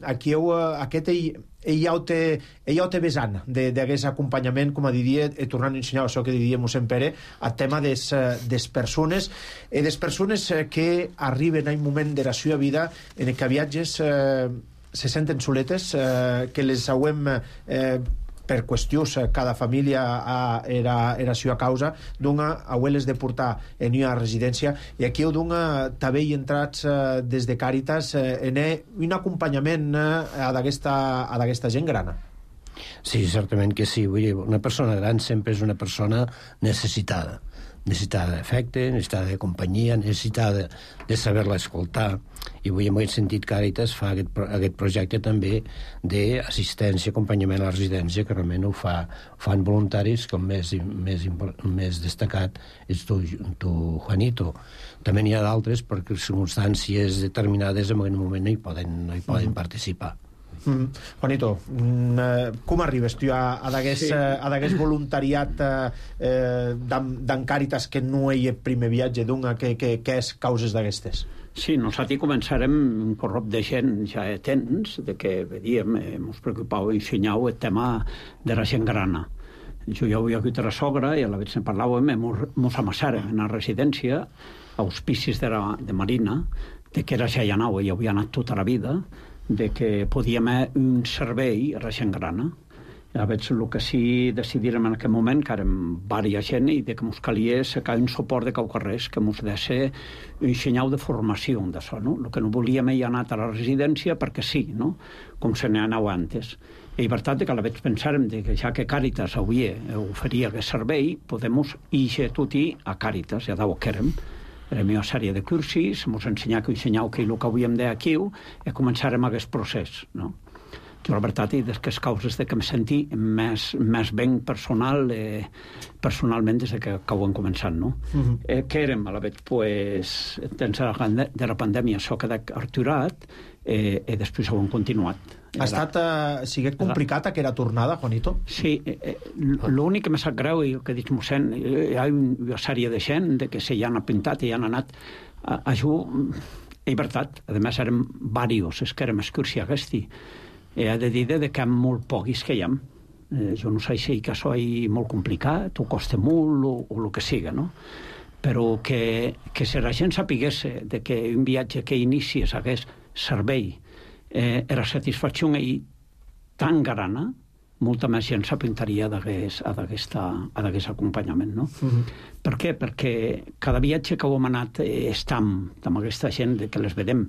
aquí heu, aquest ell, ell ja ho té, ell ja ho té vessant d'aquest acompanyament, com a diria, tornant a ensenyar això que diríem en Pere, el tema des, des persones, i des persones que arriben a un moment de la seva vida en què viatges eh, se senten soletes, eh, que les hauem... Eh, per qüestions, cada família era, era seva causa, d'una abueles de portar en una residència, i aquí heu d'una també hi entrats eh, des de Càritas eh, en un acompanyament eh, a d'aquesta gent grana. Sí, certament que sí. Vull dir, una persona gran sempre és una persona necessitada. Necessitada d'afecte, necessitada de companyia, necessitada de saber-la escoltar. I vull, en aquest sentit, Càritas fa aquest, aquest projecte també d'assistència, acompanyament a la residència, que realment ho fa, fan voluntaris, com més, més, més destacat és tu, tu, Juanito. També n'hi ha d'altres perquè circumstàncies determinades en aquest moment no hi poden, no hi poden mm. participar. Mm. Juanito, mm, com arribes tu a, a d'aguest sí. uh, voluntariat uh, d'en Càritas que no hi ha primer viatge d'una, que, que, que és causes d'aquestes? Sí, nosaltres començarem un corrop de gent ja temps, de que vedíem, ens preocupava ensenyar el tema de la gent grana. Jo ja havia hagut a la sogra i a la vegada en parlàvem, ens amassàrem en la residència, auspicis de, la, de Marina, de que era ja hi anava, i havia anat tota la vida, de que podíem haver un servei a la gent grana. A veure, el que sí decidirem en aquell moment, que érem diversa gent, i de que ens calia sacar un suport de caucarrers, que ens deixa un senyal de formació d'això, no? El que no volíem hi anar a la residència perquè sí, no? Com se n'hi anava antes. I per tant, que a la vegada pensàrem que ja que Càritas avui oferia aquest servei, podem ir tot a Càritas, ja d'ho que érem. Érem una sèrie de cursis, ens ensenyar que ensenyau que el que havíem d'aquí i començarem aquest procés, no? Jo, la veritat, i des que les causes de que em senti més, més ben personal, eh, personalment des que, que ho hem començat, no? Uh-huh. eh, que érem, a la vegada, pues, dins de la pandèmia, això queda aturat, eh, i després ho hem continuat. Ha estat, eh, sigue complicat aquella tornada, Juanito? Sí, eh, l'únic que m'ha sap greu, i el que dic mossèn, hi ha una sèrie de gent de que se hi han apuntat i han anat a, a jugar, i veritat, a més érem diversos, és que érem excursió aquesta. He de dir de que hi ha molt poquis que hi ha. Eh, jo no sé si que això és molt complicat, o costa molt, o, o el que siga, no? Però que, que si la gent sapigués de que un viatge que inicies hagués servei eh, era satisfacció i tan grana, molta més gent s'apuntaria d'aquest acompanyament, no? Uh-huh. Per què? Perquè cada viatge que hem anat eh, estam amb aquesta gent de que les vedem.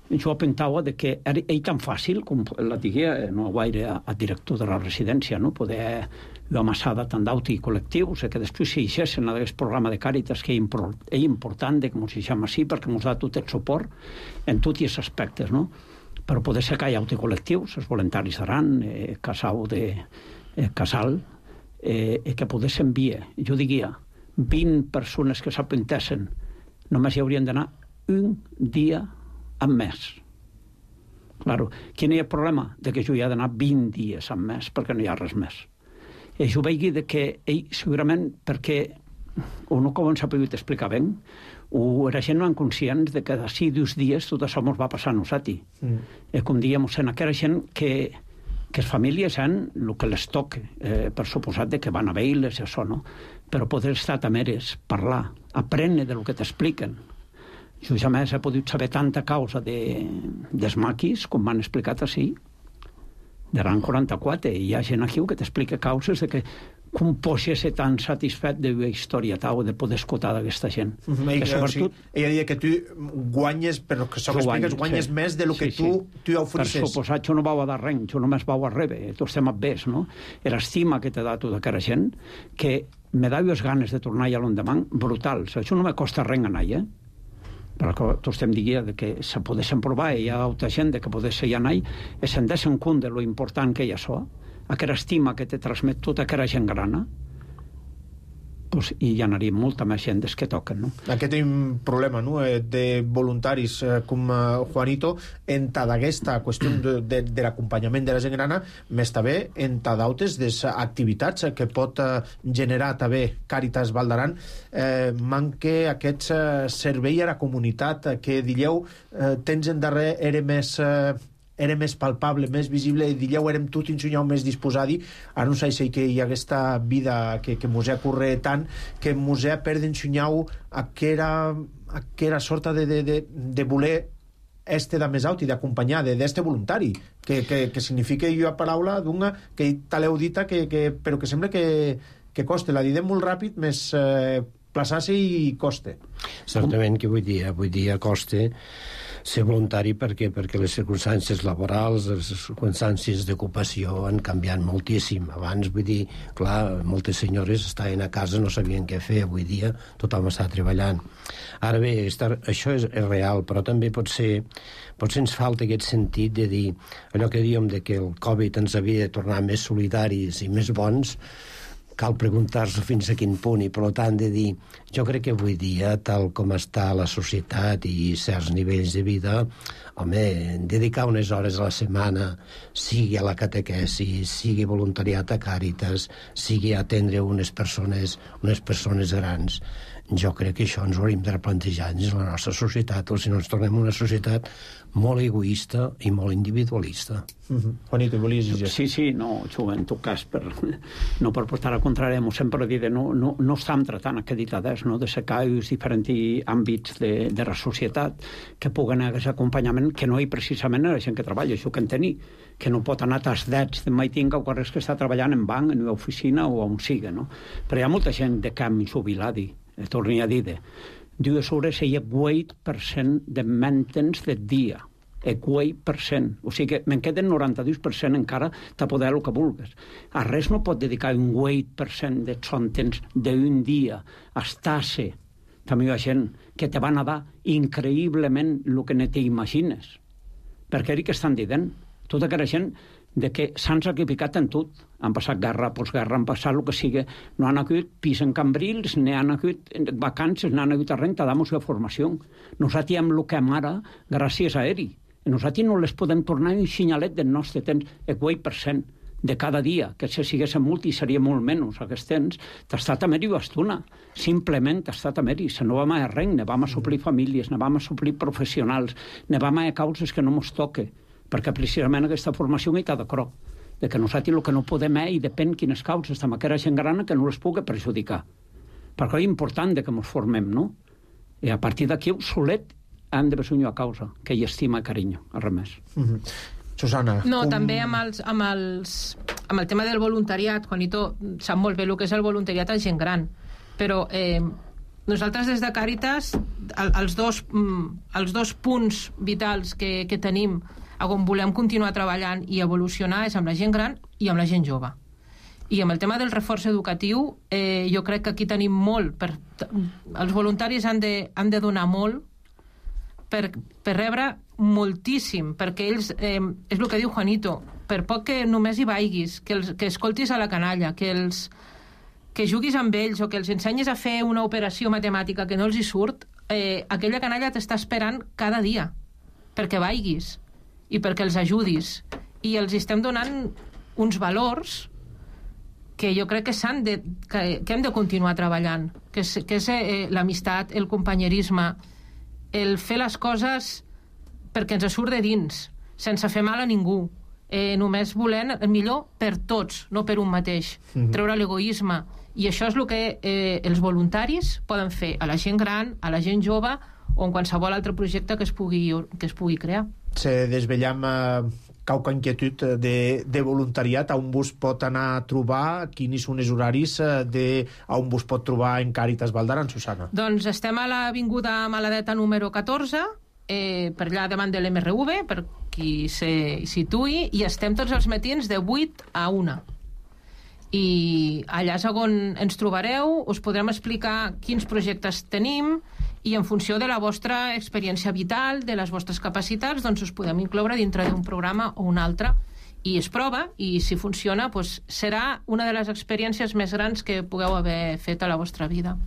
Jo apuntava de que era tan fàcil, com la digué, no gaire a, a director de la residència, no? Poder amassada tant d'auti col·lectius, que després s'hi deixessin aquest programa de Càritas, que és important que ens deixem així, perquè ens da tot el suport en tots els aspectes, no? Però poder ser que hi ha auti col·lectius, els voluntaris d'Aran, eh, Casau de eh, Casal, eh, que poguessin enviar, jo diria, vint persones que s'apuntessin, només hi haurien d'anar un dia en mes. Claro, quin és el problema? De que jo hi ha d'anar vint dies en mes perquè no hi ha res més. I jo veig de que ell, segurament, perquè o no com s'ha pogut explicar ben, o la gent no és conscients de que d'ací dos dies tot això ens va passar a nosaltres. Mm. Eh, com dèiem, en aquella gent que, que les famílies han el que les toca, eh, per suposat de que van a veure-les i això, no? Però poder estar també és parlar, aprendre del que t'expliquen. Jo jamais he pogut saber tanta causa de, dels maquis, com m'han explicat així, de l'any quaranta-quatre, i hi ha gent aquí que t'explica causes de que com pots ser tan satisfet de la història tau, de poder escoltar d'aquesta gent. Mm-hmm. Que sobretot... O sigui, ella deia que tu guanyes, però que segons expliques, guanyes sí. més de lo que sí, tu, sí. tu ofereixes. Per suposat, jo no vau a dar res, jo només vau a rebre, tu estem a bes, no? L'estima que t'ha dat tota aquella gent, que me dau les ganes de tornar allà l'endemà, brutals. Això no me costa res anar, eh? Però tots estem dient que se poguessin provar i hi ha altra gent que poguessin anar i se'n deixen compte de lo important que hi ha això, aquella estima que te transmet tota aquella gent grana, pues, i hi anaria molta més gent des que toquen, no? Aquest és un problema, no?, de voluntaris com Juanito en aquesta qüestió de, de, de l'acompanyament de la gent grana, més també en d'altres des activitats que pot generar també Càritas Val d'Aran. Eh, manque aquest servei a la comunitat que dieu eh, tens en darrer era més... Eh, era més palpable, més visible, i dieu érem tot ensenyau més disposadi. Ara no sé si que hi ha aquesta vida que, que mos ha corre tant, que mos ha perdut ensenyau aquella, aquella sorta de, de, de, de voler este de més alt i d'acompanyar d'este voluntari, que, que, que significa jo a paraula d'una que taleu dita, que, que, però que sembla que, que coste. La didem molt ràpid, més eh, plaçar-se i coste. Certament que avui dia, avui dia coste ser voluntari perquè perquè les circumstàncies laborals, les circumstàncies d'ocupació han canviat moltíssim. Abans, vull dir, clar, moltes senyores estaven a casa, no sabien què fer. Avui dia tothom està treballant. Ara bé, estar, això és, és real, però també pot ser, potser ens falta aquest sentit de dir allò que dèiem de que el Covid ens havia de tornar més solidaris i més bons. cal preguntar-se fins a quin punt, i per tant de dir, jo crec que avui dia, tal com està la societat i certs nivells de vida, home, dedicar unes hores a la setmana, sigui a la catequesi, sigui voluntariat a Càritas, sigui a atendre unes persones, unes persones grans, jo crec que això ens ho hauríem de replantejar dins la nostra societat, o si no ens tornem una societat molt egoista i molt individualista. Uh-huh. Juanito, volies dir? Sí, sí, no, jo, en tot cas, per, no per portar a contrari, m'ho sempre dit, no, no, no estem tratant acreditades, no, de secar els diferents àmbits de, de la societat que puguen haver aquest acompanyament, que no hi precisament la gent que treballa, això que en tenir, que no pot anar als dets de maitinga o carrers que està treballant en banc, en una oficina o on siga, no? Però hi ha molta gent de camp jubilada, torni a dir, dues hores hi ha vuit per cent de maintenance de dia, vuit per cent. O sigui que me'n queden noranta-dos per cent encara de poder el que vulguis. A res no pot dedicar un vuit per cent de son temps d'un dia a estar-se. També hi ha gent que te van a dar increïblement el que no t'imagines. Perquè era que estan dient, tota aquella gent de que s'han sacrificat en tot. Han passat guerra, postguerra, han passat el que sigui. No han hagut pis en Cambrils, ni han hagut vacances, ni han hagut a renta, damos la formació. Nosaltres hem el que hem ara gràcies a ell. Nosaltres no les podem tornar un xinyalet del nostre temps, el vuit per cent de cada dia, que si sigués en multi seria molt menys aquest temps, t'ha estat a meri bastona. Simplement t'ha estat a meri. Se no vam a res, ne vam a suplir famílies, ne vam a suplir professionals, ne vam a causes que no mos toque, perquè precisament aquesta formació hi està d'acord, de que nosaltres el que no podem és, i depèn quines causes, amb aquella gent grana que no les pugui perjudicar. Perquè és important de que ens formem, no? I a partir d'aquí, solet, han de besonyo a causa, que hi estima i carinyo, a res més. Mm-hmm. Susana. No, com... també amb, els, amb, els, amb el tema del voluntariat, Juanito sap molt bé el que és el voluntariat a gent gran, però eh, nosaltres des de Càritas, el, els, dos, els dos punts vitals que, que tenim on volem continuar treballant i evolucionar és amb la gent gran i amb la gent jove. I amb el tema del reforç educatiu, eh, jo crec que aquí tenim molt. Per, els voluntaris han de, han de donar molt per, per rebre moltíssim, perquè ells, eh, és el que diu Juanito, per poc que només hi vaiguis, que, els, que escoltis a la canalla, que, els, que juguis amb ells o que els ensenyis a fer una operació matemàtica que no els hi surt, eh, aquella canalla t'està esperant cada dia perquè vaiguis i perquè els ajudis, i els estem donant uns valors que jo crec que, s'han de, que, que hem de continuar treballant, que és, que és eh, l'amistat, el companyerisme, el fer les coses perquè ens surt de dins, sense fer mal a ningú, eh, només volent el millor per tots, no per un mateix, mm-hmm. treure l'egoisme, i això és el que eh, els voluntaris poden fer a la gent gran, a la gent jove o en qualsevol altre projecte que es pugui, que es pugui crear. Se desvellam eh, cauca inquietud de, de voluntariat, a on vos pot anar a trobar, quins són els horaris eh, de, a on vos pot trobar en Càritas Val d'Aran, Susana? Doncs estem a l'avinguda Maladeta número catorze, eh, per allà davant de l'M R V, per qui se situï, i estem tots els matins de vuit a una. I allà és on ens trobareu, us podrem explicar quins projectes tenim, i en funció de la vostra experiència vital, de les vostres capacitats, doncs us podem incloure dintre d'un programa o un altre, i es prova, i si funciona, doncs serà una de les experiències més grans que pugueu haver fet a la vostra vida.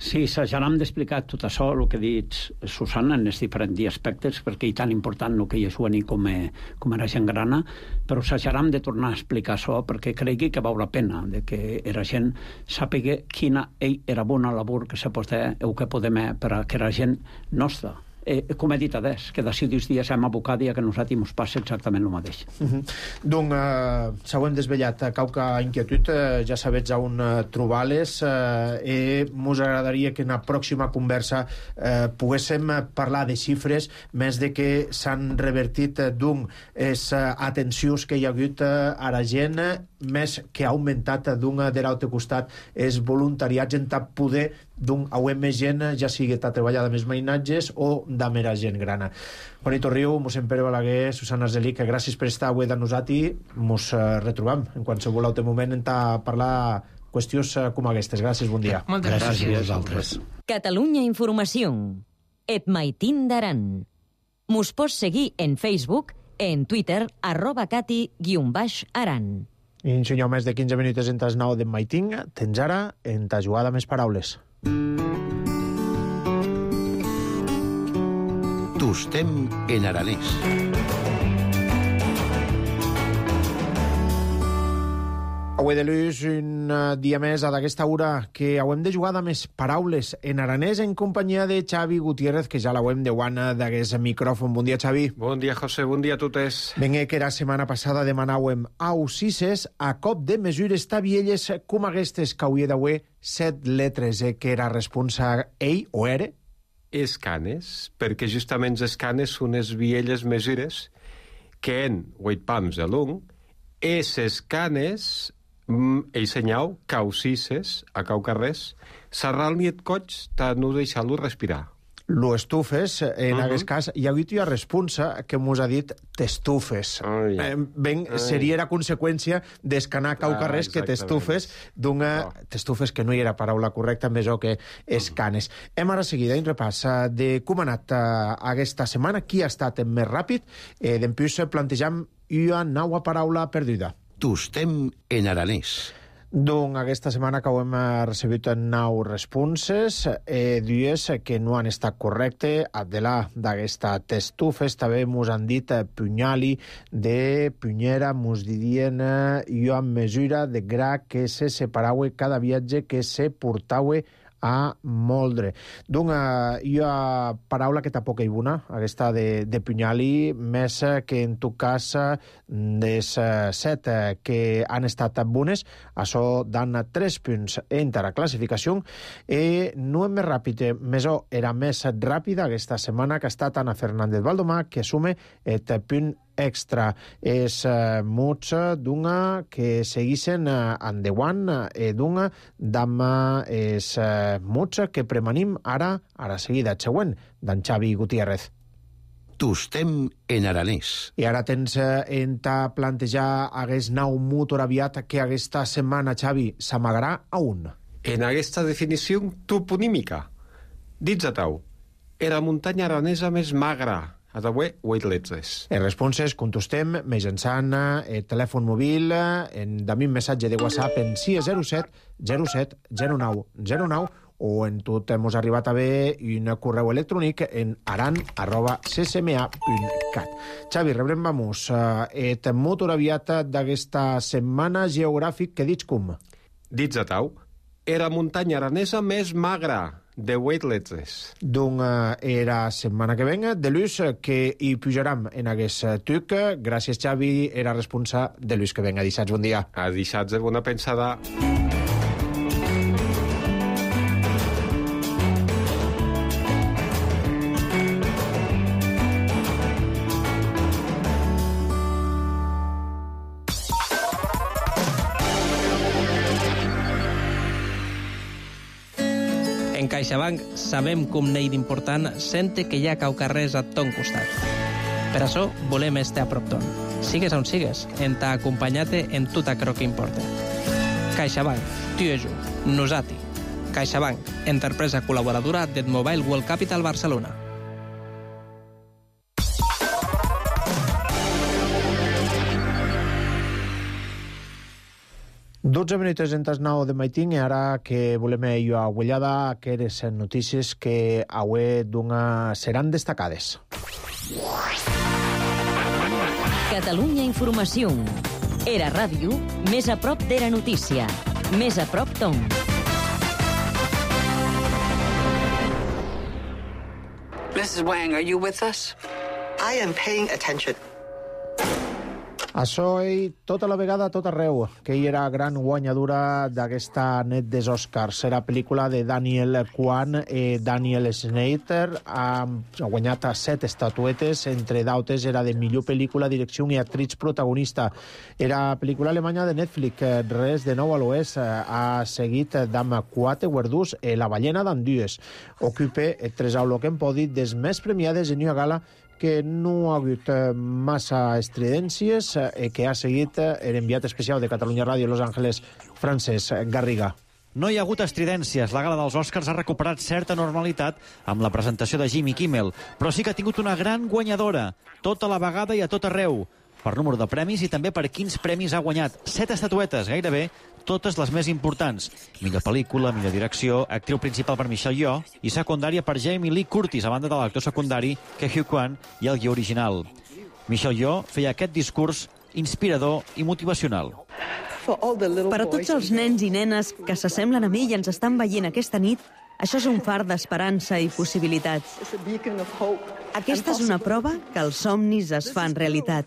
Sí, ja n'hem d'explicar tot això, el que ha dit Susana, en els diferents aspectes, perquè és tan important el que hi és Joani com, com era gent grana, però ja n'hem de tornar a explicar això, perquè cregui que val la pena, de que era gent sàpiga quina era bona labor que se pot fer, o que podem fer per a que era gent nostra. Eh, com he dit adés, que d'ací dos dies hem abocat i que a nosaltres ens passa exactament el mateix. Uh-huh. Donc, eh, s'ho hem desvellat, cauca inquietud, eh, ja sabets on eh, trobar-les, eh, i mos agradaria que en la pròxima conversa eh, poguéssim parlar de xifres, més de que s'han revertit eh, d'un les eh, atencions que hi ha hagut eh, a la gent, més que ha augmentat d'un de l'altre costat els voluntariats en tant poder d'un auem més gent, ja sigui a treballar amb els mainatges o de mera gent grana. Juanito Riu, mossèn Pere Balaguer, Susana Arzelic, gràcies per estar avui de nosaltres. Mos eh, retrobam en qualsevol altre moment en parlar qüestions eh, com aquestes. Gràcies, bon dia. Moltes gràcies. Gràcies a vosaltres. Catalunya Informació. Et Maitín d'Aran. Mos pots seguir en Facebook, en Twitter, arroba cati guion baix aran. I un senyor més de quinze minuts entre les nou d'en Maiting, tens ara en ta jugada més paraules. Tostem en aranès. Avui de l'ús, un dia més a d'aquesta hora que hauem de jugar amb més paraules en aranès en companyia de Xavi Gutiérrez, que ja l'hauem de guana d'aquest micròfon. Bon dia, Xavi. Bon dia, José. Bon dia a totes. Venga, que la setmana passada demanàvem ausises a cop de mesures tabielles com aquestes que hauria d'haver set letres, eh, que era responsa ell o era? Escanes, perquè justament les escanes són les vielles mesures que en vuit pams a l'un, es escanes el senyal causises a cau carrers, serral-li et coig ta no deixar-lo respirar. Lo estufes, en uh -huh. aquest cas, hi ha hagut una responsa que mos ha dit t'estufes. Ai. Eh, ben, Ai. seria la conseqüència d'escanar cau carrers ah, que t'estufes d'una... Oh. T'estufes, que no hi era paraula correcta, més o que escanes. Uh -huh. Hem ara seguida un repàs de com ha anat uh, aquesta setmana, qui ha estat més ràpid, eh, d'empús plantejam una nova paraula perduda. Tostem en aranès. Doncs aquesta setmana que ho hem recebut nou responses, eh, dues que no han estat correctes. Adela, d'aquesta t'estufes, també mos han dit eh, punyali, de punyera, mos dirien eh, jo en mesura de gra que se separaue cada viatge que se portaue a moldre. Doncs uh, hi ha paraula que tampoc hi bona, aquesta de, de punyali, més que en tu cas des uh, set uh, que han estat bones, això dan tres punts entre la classificació, i no és més ràpid, més o era més ràpida aquesta setmana, que ha estat Ana Fernández Valdomà, que assume el punt extra. És uh, muts d'una que seguissin uh, endeuant eh, d'una dama és uh, muts que premanim ara, ara seguida, següent, d'en Xavi Gutiérrez. Tostem en aranès. I ara tens uh, en ta plantejar hagués nou mut aviat que aquesta setmana, Xavi, s'amagarà a un. En aquesta definició toponímica, dits a tau, era muntanya aranesa més magra, a d'avui vuit letres. En responses contestem mitjançant el telèfon mòbil en també un missatge de WhatsApp en sis zero set zero set zero nou zero nou o en tot hemos arribat a ver un correu electrònic en aran arroba c s m a punt cat. Xavi, rebrem vamos et motor aviat d'aquesta setmana geogràfic que dits com? Dits a tau, era muntanya aranesa més magra, de vuit letres. Doncs uh, era setmana que venga, de l'ús que hi pujaram en aquest tuc. Gràcies, Xavi, era responsable de l'ús que venga. Dissats, bon dia. A dissats, bona pensada. En CaixaBank sabem com n'hi d'important sente que hi ha cau carrers a ton costat. Per això volem estar a prop ton. Sigues on sigues, en t'ha acompanyat en tot aquello que importa. CaixaBank, tu i jo, nosati. CaixaBank, empresa col·laboradora del Mobile World Capital Barcelona. dotze minuts entre nou de Maiting, i ara que volem jo a Guellada, que eres notícies que avui d'una seran destacades. Catalunya Informació. Era ràdio, més a prop d'Era Notícia. Més a prop Tom. missus Wang, are you with us? I am paying attention. Això i tota la vegada, tot arreu, que hi era gran guanyadora d'aquesta net dels Oscars. Era pel·lícula de Daniel Kwan i Daniel Schneider. Ha guanyat set estatuetes, entre d'altres era de millor pel·lícula, direcció i actriz protagonista. Era pel·lícula alemanya de Netflix, res de nou a l'oest. Ha seguit d'amb quatre guardons i La ballena d'Andues. Ocupa tres aulo que hem podit des més premiades en una gala que no ha hagut massa estridències i que ha seguit l'enviat especial de Catalunya Ràdio Los Ángeles, Francesc Garriga. No hi ha hagut estridències. La gala dels Oscars ha recuperat certa normalitat amb la presentació de Jimmy Kimmel, però sí que ha tingut una gran guanyadora, tota la vegada i a tot arreu. per número de premis i també per quins premis ha guanyat. Set estatuetes, gairebé totes les més importants. Millor pel·lícula, millor direcció, actriu principal per Michelle Yeoh i secundària per Jamie Lee Curtis, a banda de l'actor secundari Ke Huy Quan i el guió original. Michelle Yeoh feia aquest discurs inspirador i motivacional. Per a tots els nens i nenes que s'assemblen a mi i ens estan veient aquesta nit, això és un far d'esperança i possibilitats. Aquesta és una prova que els somnis es fan realitat.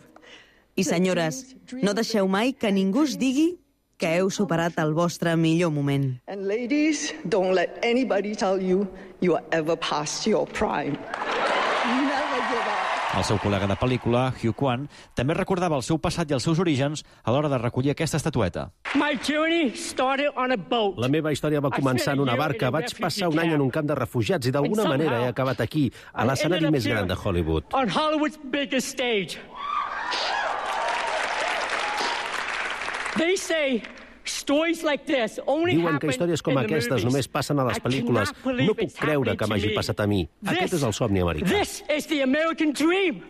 I senyores, no deixeu mai que ningú us digui que heu superat el vostre millor moment. And ladies, don't let anybody tell you you are ever past your prime. Never give up. El seu col·lega de pel·lícula, Huy Quan, també recordava el seu passat i els seus orígens a l'hora de recollir aquesta estatueta. La meva història va començar en una barca. Vaig passar un any en un camp de refugiats i d'alguna manera he acabat aquí, a l'escenari més gran de Hollywood. On Hollywood's biggest stage. They say stories like this only Diuen que històries com aquestes només passen a les pel·lícules. No puc creure que m'hagi passat a mi. Aquest és el somni americà. This is the American dream.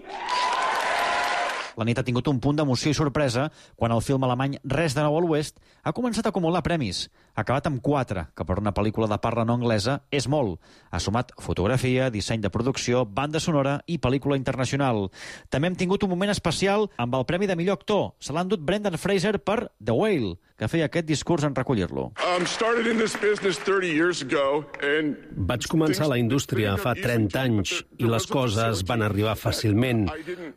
La nit ha tingut un punt d'emoció i sorpresa quan el film alemany Res de nou a l'Oest ha començat a acumular premis. Ha acabat amb quatre, que per una pel·lícula de parla no anglesa és molt. Ha sumat fotografia, disseny de producció, banda sonora i pel·lícula internacional. També hem tingut un moment especial amb el premi de millor actor. Se l'ha endut Brendan Fraser per The Whale, que feia aquest discurs en recollir-lo. Vaig començar a la indústria fa trenta anys i les coses van arribar fàcilment.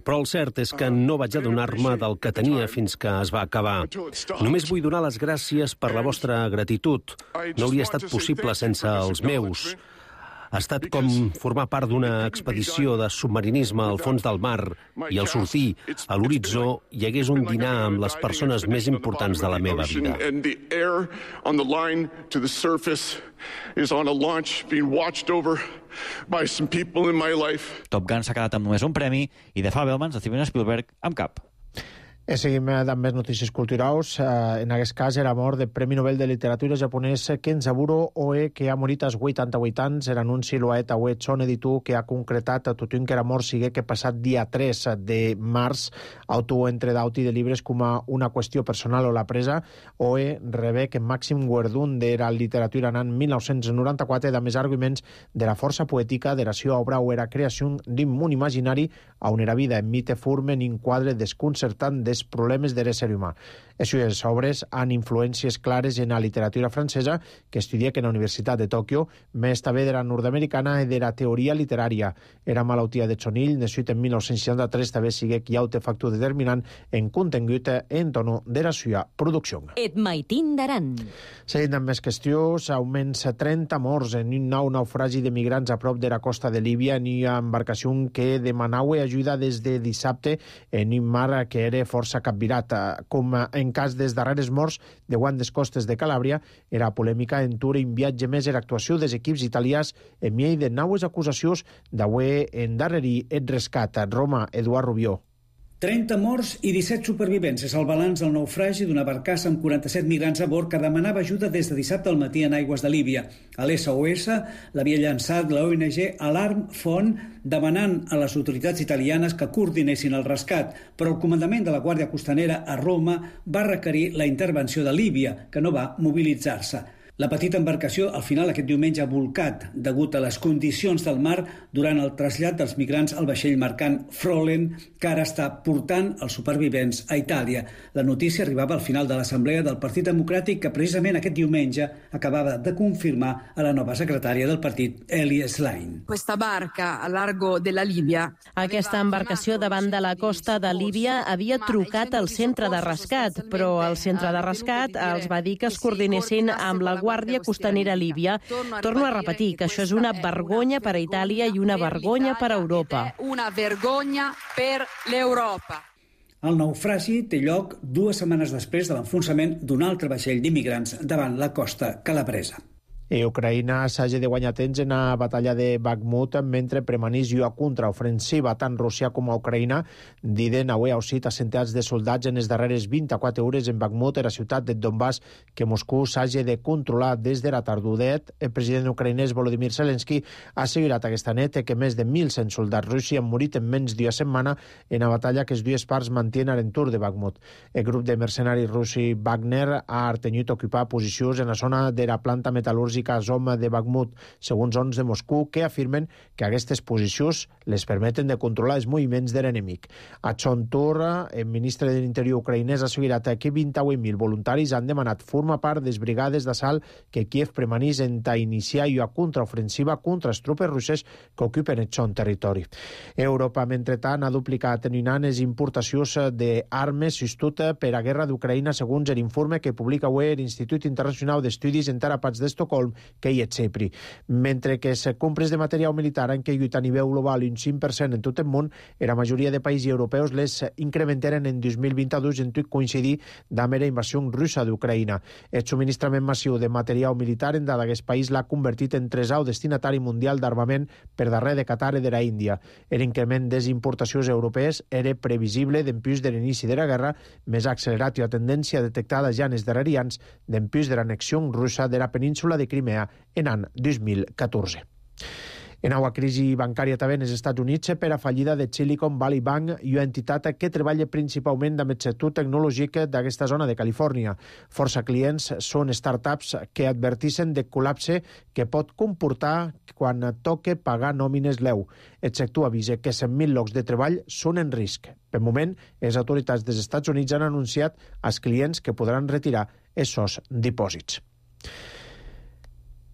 Però el cert és que no vaig adonar-me del que tenia fins que es va acabar. Només vull donar les gràcies per la vostra gratitud. No hauria estat possible sense els meus. Ha estat com formar part d'una expedició de submarinisme al fons del mar i al sortir a l'horitzó hi hagués un dinar amb les persones més importants de la meva vida. Top Gun s'ha quedat amb només un premi i The Fabelmans de Steven Spielberg amb cap. I seguim amb més notícies culturals. En aquest cas era mort del Premi Nobel de Literatura japonès Kenzaburo Oe, que ha morit als vuitanta-vuit anys. Era un siluet Oe Chon editor que ha concretat a tothom que era mort sigui que passat dia tres de març autor entre d'auti de llibres com a una qüestió personal o la presa. Oe rebé que màxim guerdun de la literatura en mil nou-cents noranta-quatre de més arguments de la força poètica de la seva obra o era creació d'un món imaginari on era vida en mite formen un quadre desconcertant de problemes de l'ésser humà. Les seves obres han influències clares en la literatura francesa, que estudia que en la Universitat de Tòquio, més també de la nord-americana i de la teoria literària. Era malaltia de Chonill, nascut en mil nou-cents seixanta-tres, també sigue que hi ha un factor determinant en contingut en tono de la seva producció. Et maitin d'aran. Seguint amb més qüestions, augments trenta morts en un nou naufragi de migrants a prop de la costa de Líbia en una embarcació que demanava ajuda des de dissabte en un mar que era força capvirat. Com en cas dels darreres morts de guant des costes de Calàbria, era polèmica en tur un viatge més en actuació dels equips italians en miei de naues acusacions d'haver endarrerir el rescat. Roma, Eduard Rubió. trenta morts i disset supervivents és el balanç del naufragi d'una barcassa amb quaranta-set migrants a bord que demanava ajuda des de dissabte al matí en aigües de Líbia. A l'S O S l'havia llançat la O N G Alarm Phone demanant a les autoritats italianes que coordinessin el rescat, però el comandament de la Guàrdia Costanera a Roma va requerir la intervenció de Líbia, que no va mobilitzar-se. La petita embarcació al final aquest diumenge ha volcat degut a les condicions del mar durant el trasllat dels migrants al vaixell mercant Frolen, que ara està portant els supervivents a Itàlia. La notícia arribava al final de l'Assemblea del Partit Democràtic, que precisament aquest diumenge acabava de confirmar a la nova secretària del partit, Eli Schlein. Questa barca a largo de la Líbia. Aquesta embarcació davant de la costa de Líbia havia trucat al centre de rescat, però el centre de rescat els va dir que es coordinessin amb la Guàrdia Costanera Líbia. Torno a repetir que això és una vergonya per a Itàlia i una vergonya per a Europa. Una vergonya per l'Europa. El naufragi té lloc dues setmanes després de l'enfonsament d'un altre vaixell d'immigrants davant la costa calabresa. I Ucraïna s'hagi de guanyar temps en la batalla de Bakhmut mentre premanís una contraofensiva. Tant Rússia com a Ucraïna diden avui a Ocit a centenars de soldats en les darreres vint-i-quatre hores en Bakhmut, la ciutat de Donbass, que Moscou s'hagi de controlar des de la tardudet. El president ucraïnès Volodymyr Zelensky ha assegurat aquesta nit que més de mil cent soldats russos han morit en menys d'una setmana en la batalla que les dues parts mantenen a l'entorn de Bakhmut. El grup de mercenaris russi Wagner ha artenyut ocupar posicions en la zona de la planta metal·lúrgica Azov de Bakhmut, segons ons de Moscou, que afirmen que aquestes posicions les permeten de controlar els moviments de l'enemic. A Chontur, el ministre de l'Interior ucraïnès ha assegurat que vint-i-vuit mil voluntaris han demanat formar part de les brigades d'assalt que Kiev premanís en ta iniciar una contraofensiva contra les tropes russes que ocupen el son territori. Europa, mentrestant, ha duplicat en un any les importacions d'armes sostut per a guerra d'Ucraïna, segons l'informe que publica avui l'Institut Internacional d'Estudis en Terapats d'Estocolm, que hi és CEPRI. Mentre que les compres de material militar han caigut a nivell global un cinc per cent en tot el món, la majoria de països europeus les incrementaren en dos mil vint-i-dos en tot coincidir amb la invasió russa d'Ucraïna. El subministrament massiu de material militar en d'aquest país l'ha convertit en tresau destinatari mundial d'armament per darrere de Qatar i de la Índia. L'increment de les importacions europees era previsible d'empús de l'inici de la guerra, més accelerat i la tendència detectada ja en els darrers anys d'empús de l'annexió russa de la península de Crimea en l'any dos mil catorze. En una crisi bancària també en els Estats Units per a fallida de Silicon Valley Bank i una entitat que treballa principalment amb el sector tecnològic d'aquesta zona de Califòrnia. Força clients són startups que adverteixen de col·lapse que pot comportar quan toque pagar nòmines l'E U. El sector avisa que cent mil llocs de treball són en risc. Per moment, les autoritats dels Estats Units han anunciat als clients que podran retirar els seus dipòsits.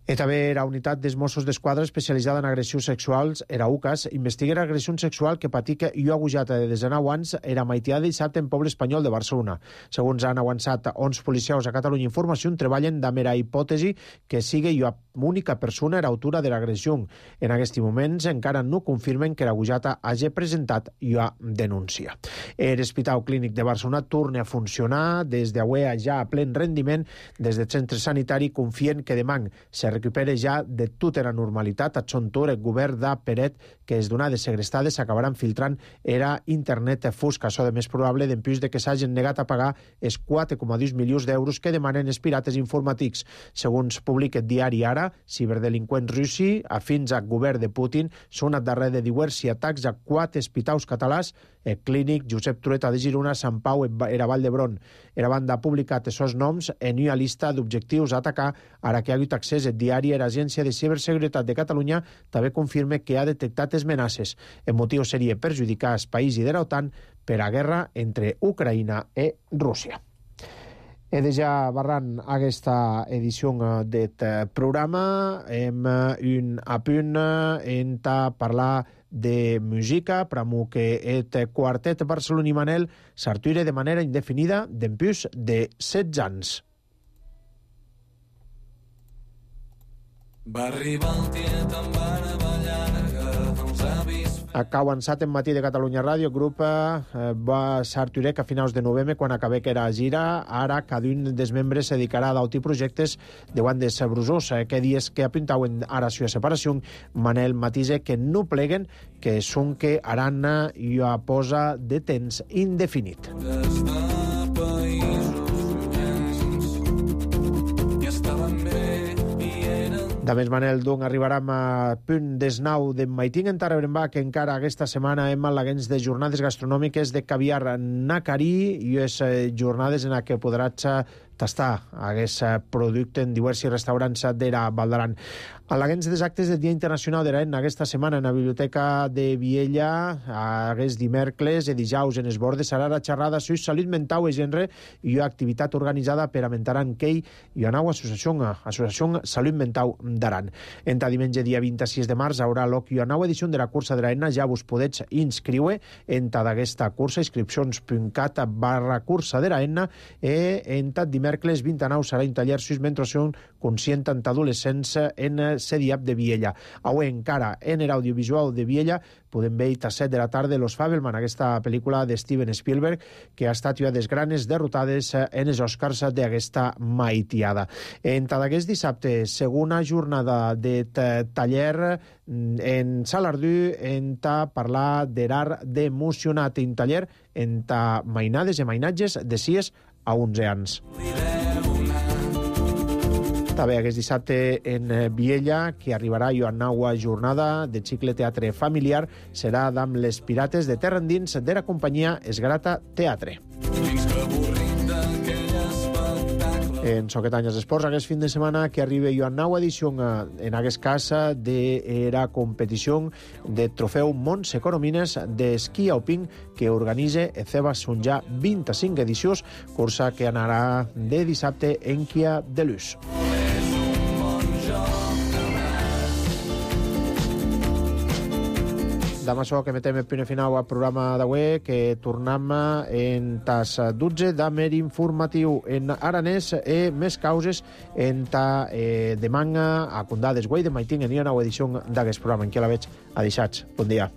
I també la unitat dels Mossos d'Esquadra especialitzada en agressions sexuals, era U C A S, investiga l'agressió sexual que patica i agujata de desenau anys era maitiada dissabte en poble espanyol de Barcelona. Segons han avançat onze policials a Catalunya Informació, treballen amb la hipòtesi que sigui una única persona l'autora de l'agressió. En aquests moments encara no confirmen que l'agujata hagi presentat una denúncia. L'Hospital Clínic de Barcelona torna a funcionar des d'avui ja a plen rendiment. Des del centre sanitari confien que demà se recupera ja de tota la normalitat. A Chontur, el govern de Peret, que les donades segrestades s'acabaran filtrant era internet fosca. Això de més probable d'empús de que s'hagin negat a pagar els quatre coma dos milions d'euros que demanen els pirates informàtics. Segons publica el diari Ara, ciberdelinqüents russi, afins al govern de Putin, són al darrere de diversos atacs a quatre hospitals catalans, el Clínic, Josep Trueta de Girona, Sant Pau i la Vall d'Hebron. La banda ha publicat els seus noms en una llista d'objectius a atacar, ara que ha hagut accés al diari i l'Agència de Ciberseguretat de Catalunya també confirma que ha detectat les amenaces. El motiu seria perjudicar els països de l'OTAN per a guerra entre Ucraïna i Rússia. He de ja barrant aquesta edició d'aquest programa. Hem un apunt en parlar de música, pramo que el quartet barceloní Manel s'arture de manera indefinida d'empús de setze anys. Va arribar el tiet amb barba llarga dels avis... Ha avançat en Matí de Catalunya Ràdio. El grup eh, va s'arturec a finals de novembre quan acabé que era gira. Ara cada un dels membres se dedicarà a d'autres projectes davant de Sabrosós. Eh, que dies que apuntaven ara la separació, Manel matisa que no pleguen, que són que aran i a posa de temps indefinit. Des de països i estaven bé. De més, Manel, doncs, arribarem a punt desnau de Maiting en Tarrabrembà, que encara aquesta setmana hem al·leguents de jornades gastronòmiques de caviar nacarí i les jornades en què podràs tastar aquest producte en diversos restaurants de la Val d'Aran. Al·leguents dels actes del Dia Internacional de l'Aena aquesta setmana en la Biblioteca de Viella, aquest dimecres i dijous en Esbordes, serà la xerrada sobre salut mental i gènere i una activitat organitzada per Amentar en Kei i una nova associació, Associació Salut Mental d'Aran. Entre diumenge dia vint-i-sis de març haurà lloc una nova edició de la cursa de l'Aena. Ja vos podeu inscriure entre d'aquesta cursa, inscripcions punt cat barra cursa de l'Aena, i entre diumenge dimecres vint a nou serà un taller sus menstruació conscient en adolescents en C D I A P de Viella. Avui encara en l'audiovisual de Viella podem veure a set de la tarda Los Fabelman, aquesta pel·lícula de Steven Spielberg, que ha estat una de les granes derrotades en els Oscars d'aquesta maitiada. En tot aquest dissabte, segona jornada de taller en Salardú, en ta parlar d'art d'emocionat, en taller en ta mainades i mainatges de sis a onze anys. També aquest dissabte en Viella, que arribarà a una nova jornada de cicle teatre familiar, serà amb les Pirates de Terra Endins de la companyia Esgrata Teatre. En Soquetanyes Esports, aquest fin de setmana que arriba una nova edició, en aquest cas, de la competició de trofeu Montse Coromines d'esquí alpin que organitza Eceba Sunjà vint-i-cinc edicions, cursa que anarà de dissabte en Quia de Luz. Demà això que metem el primer final al programa d'avui, que tornem en tas dotze d'Amer informatiu en aranès i més causes en ta eh, de manga a Condades Guai de Maiting en una nova edició d'aquest programa. En què la veig? Adeixats. Bon dia.